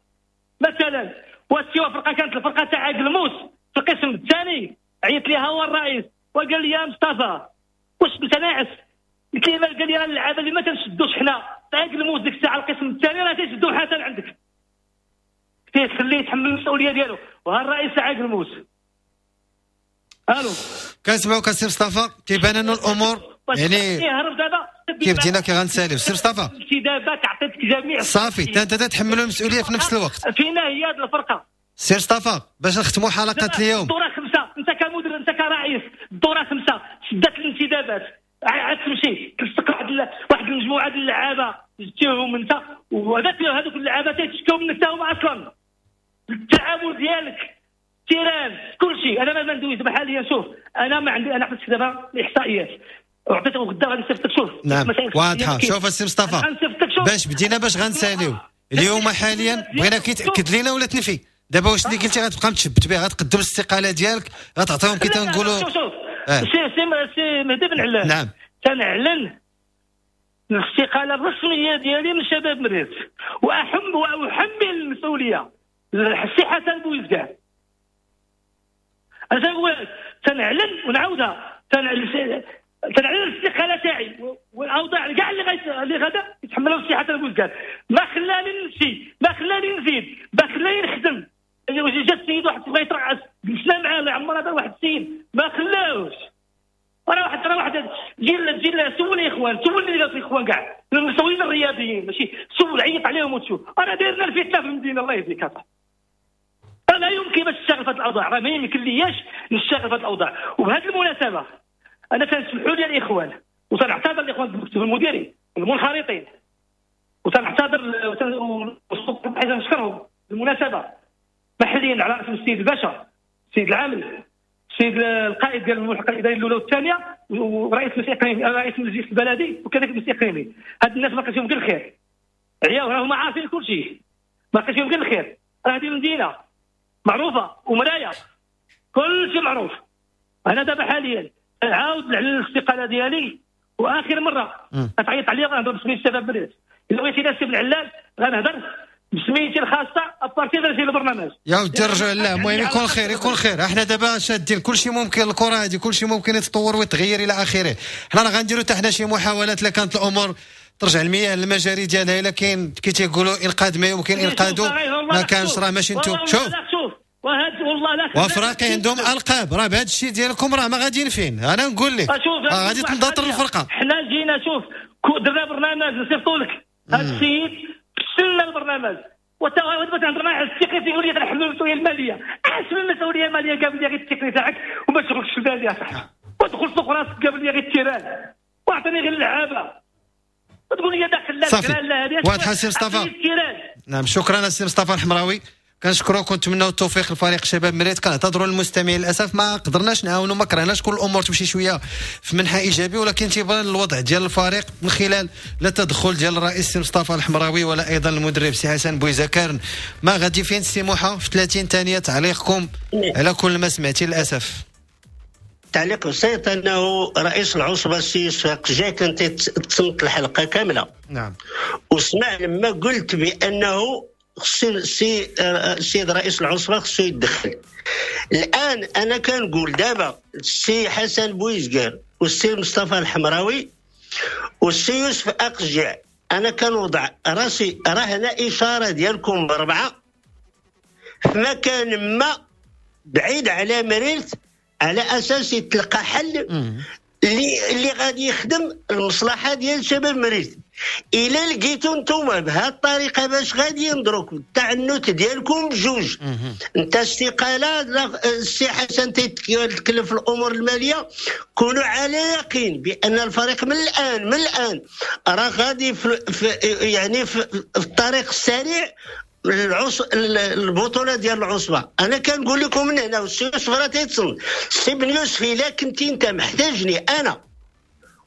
مثلا وسيوا فرقه كانت الفرقة تاع قلموس في القسم الثاني، عيط ليها هو الرئيس وقال لي يا مصطفى واش انت ناعس؟ قلت ليه؟ قال لي راه اللعابه اللي ما تنشدوش حنا تاع قلموس ديك الساعة القسم الثاني راه تيشدو حسن عندك، تيخليه يتحمل المسؤولية ديالو. وها الرئيس تاع قلموس. الو كنسمعوك السي مصطفى، تيبان انه الامور يعني كيف بدينا كي غنساليو. سي مصطفى انتدابات عطيتك جميع صافي، انت انت تتحملوا المسؤولية في نفس الوقت. فينا هي هذه الفرقة سي مصطفى باش نختموا حلقة اليوم. الدورة خمسة، انت كمدرب انت كرئيس الدورة خمسة شدات الانتدابات، عاد تمشي تلصق واحد واحد المجموعة ديال اللعابه جبتيهم انت، وهذاك هذوك اللعابه تيتشكاو منك حتى هما اصلا. التعامل ديالك terrain كل شيء. انا ما ندويش دابا حاليا. شوف انا ما عندي، انا عطيتك دابا الاحصائيات وعطيتك غدا غادي نصيفط لك. شوف نعم واضحة. شوف السي مصطفى باش بدينا باش غنساليو اليوم حاليا، بغينا كي تاكد لينا ولا تنفي دابا واش اللي قلتي غتبقى متشبت به، غتقدم الاستقالة ديالك، غتعطيهم كي تنقولوا. شوف شوف آه. سي سي سي مهدي بن علان. نعم تنعلن الاستقالة الرسمية ديالي من شباب مريرت، واحم واحمل المسؤولية السي حسن بويزكار. انا تنقول تنعلن ونعاودها، تنعلن تنعلن الاستقالة تاعي والاوضاع كاع اللي غيت... اللي غدا يتحملوا السي حسن بويزكار. ما خلاني نمشي، ما خلاني نزيد، ما خلاني نخدم. جا السيد واحد بغى يترعس، جلسنا معاه الله يعمر هذا واحد السيد ما خلاوش. راه واحد راه واحد جيل جيل سول الاخوان، سول اللي في الاخوان كاع المسؤولين الرياضيين، ماشي سول، عيط عليهم وتشوف. انا دايرنا الفتنة في المدينة الله يهديك اصاحبي. لا يمكن باش نشتغل في هذه الاوضاع، راه ما يمكن لياش نشتغل في هذه الاوضاع. وبهذه المناسبة انا تنسمحوا لي الاخوان، وتنعتذر الاخوان المكتب المديري المنخرطين، وتنعتذر حيت نشكرهم بالمناسبة محليا على راس السيد الباشا، السيد العامل، السيد القائد ديال الملحقه الادارية الاولى والثانية، ورئيس المجلس الاقليمي، رئيس المجلس البلدي، وكذلك المجلس الاقليمي. هاد الناس ما لقيتش فيهم غير الخير، عياو راهم عارفين كل شيء، ما لقيتش فيهم غير الخير. راه هذه المدينة معروفة ومرايه، كل شيء معروف. انا دابا حاليا نعاود نعلن الاستقالة ديالي، واخر مرة غتعيط عليا غنهضر بسميت الشباب مريرت. الا بغيتي ناس بن علال غنهضر بسميتي الخاصة à partir ديال البرنامج. يا ودي رجعوا لله، المهم يكون خير يكون خير. احنا دابا شادين كل شيء ممكن، الكره هذه كل شيء ممكن يتطور ويتغير الى اخره. حنا راه غنديروا حتى حنا شي محاولات لا كانت الامور ترجع المياه للمجاري ديالها، الا كاين كي تيقولوا انقاذ ما يمكن انقاذه، ما كانش راه ماشي انتم. شوف والله لا وافراقي عندهم القاب، راه بهذا الشيء ديالكم راه ما غاديين فين. انا نقول لك راه غادي تنضطر الفرقة. حنا جينا شوف درنا برنامج نصيفطوا لك هذا السيد سلنا البرنامج، وتا دابا تهضر معاه على التقني تيقول لي غنحملوا المسؤولية المالية. اش من المسؤولية المالية؟ قابل لي غير التقني تاعك وما تشغلكش في بالي يا صاحبي، ودخل سوق راسك قابل لي غير ال terrain واعطيني غير اللعابه، وتقول لي داخل لا لا هذه واضحة. سي مصطفى، نعم شكرا سي مصطفى الحمراوي، كنشكروك ونتمناو التوفيق لفريق شباب مريرت. كنعتذروا للمستمعين للاسف ما قدرناش نعاونوا، ما كرهناش كل الامور تمشي شوية في منحى ايجابي، ولكن تيبان الوضع ديال الفريق من خلال لا تدخل ديال الرئيس سي مصطفى الحمراوي ولا ايضا المدرب سي حسن بويزكار ما غادي فين. سي موحى في ثلاثين ثانية تعليقكم على كل ما سمعتي للاسف. تعليق بسيط، انه رئيس العصبة السي يوسف جا كان تصنت الحلقة كاملة، نعم، وسمع لما قلت بانه السي السيد رئيس العصبة خصو يتدخل. الان انا كنقول دابا السي حسن بويزكار والسي مصطفى الحمراوي والسي يوسف اقجع، انا كنوضع راسي راه هنا اشارة ديالكم بربعه في مكان ما بعيد على مريرت، على اساس يتلقى حل اللي اللي غادي يخدم المصلحة ديال شباب مريرت. الا لقيتو نتوما بهذه الطريقة باش غادي ينظروك التعنت ديالكم بجوج، انت استقالة، السي حسن تيتكلف الامور المالية، كونوا على يقين بان الفريق من الان من الان راه غادي في, في يعني في, في الطريق السريع العص... البطولة ديال العصبة. انا كنقول لكم من هنا، والسي يوسف راه تيتصل، السي بن يوسف الا كنتي انت محتاجني انا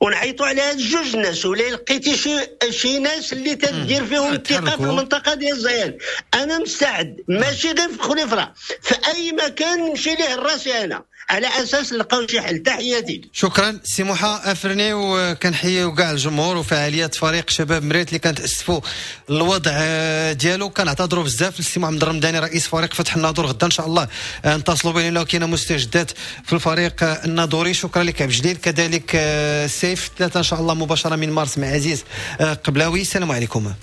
ونعيطوا على هاد جوج الناس، ولا لقيتي شي شي ناس اللي تدير فيهم الثقة في المنطقة ديال زيان، انا مستعد، ماشي غير في خليفره، في اي مكان نمشي ليه راسي انا على اساس نلقاو شي حل. تحياتي. شكرا سي موحى افرني، وكنحييو كاع الجمهور وفعاليات فريق شباب مريرت اللي كنتاسفوا الوضع ديالو. كنعتذروا بزاف للسي محمد الرمضاني رئيس فريق فتح الناظور، غدا ان شاء الله نتصلوا به لانه كاينه مستجدات في الفريق الناظوري. شكرا لك عبد الجليل، كذلك سيف ثلاثة ان شاء الله مباشرة من مارس مع عزيز قبلاوي. السلام عليكم.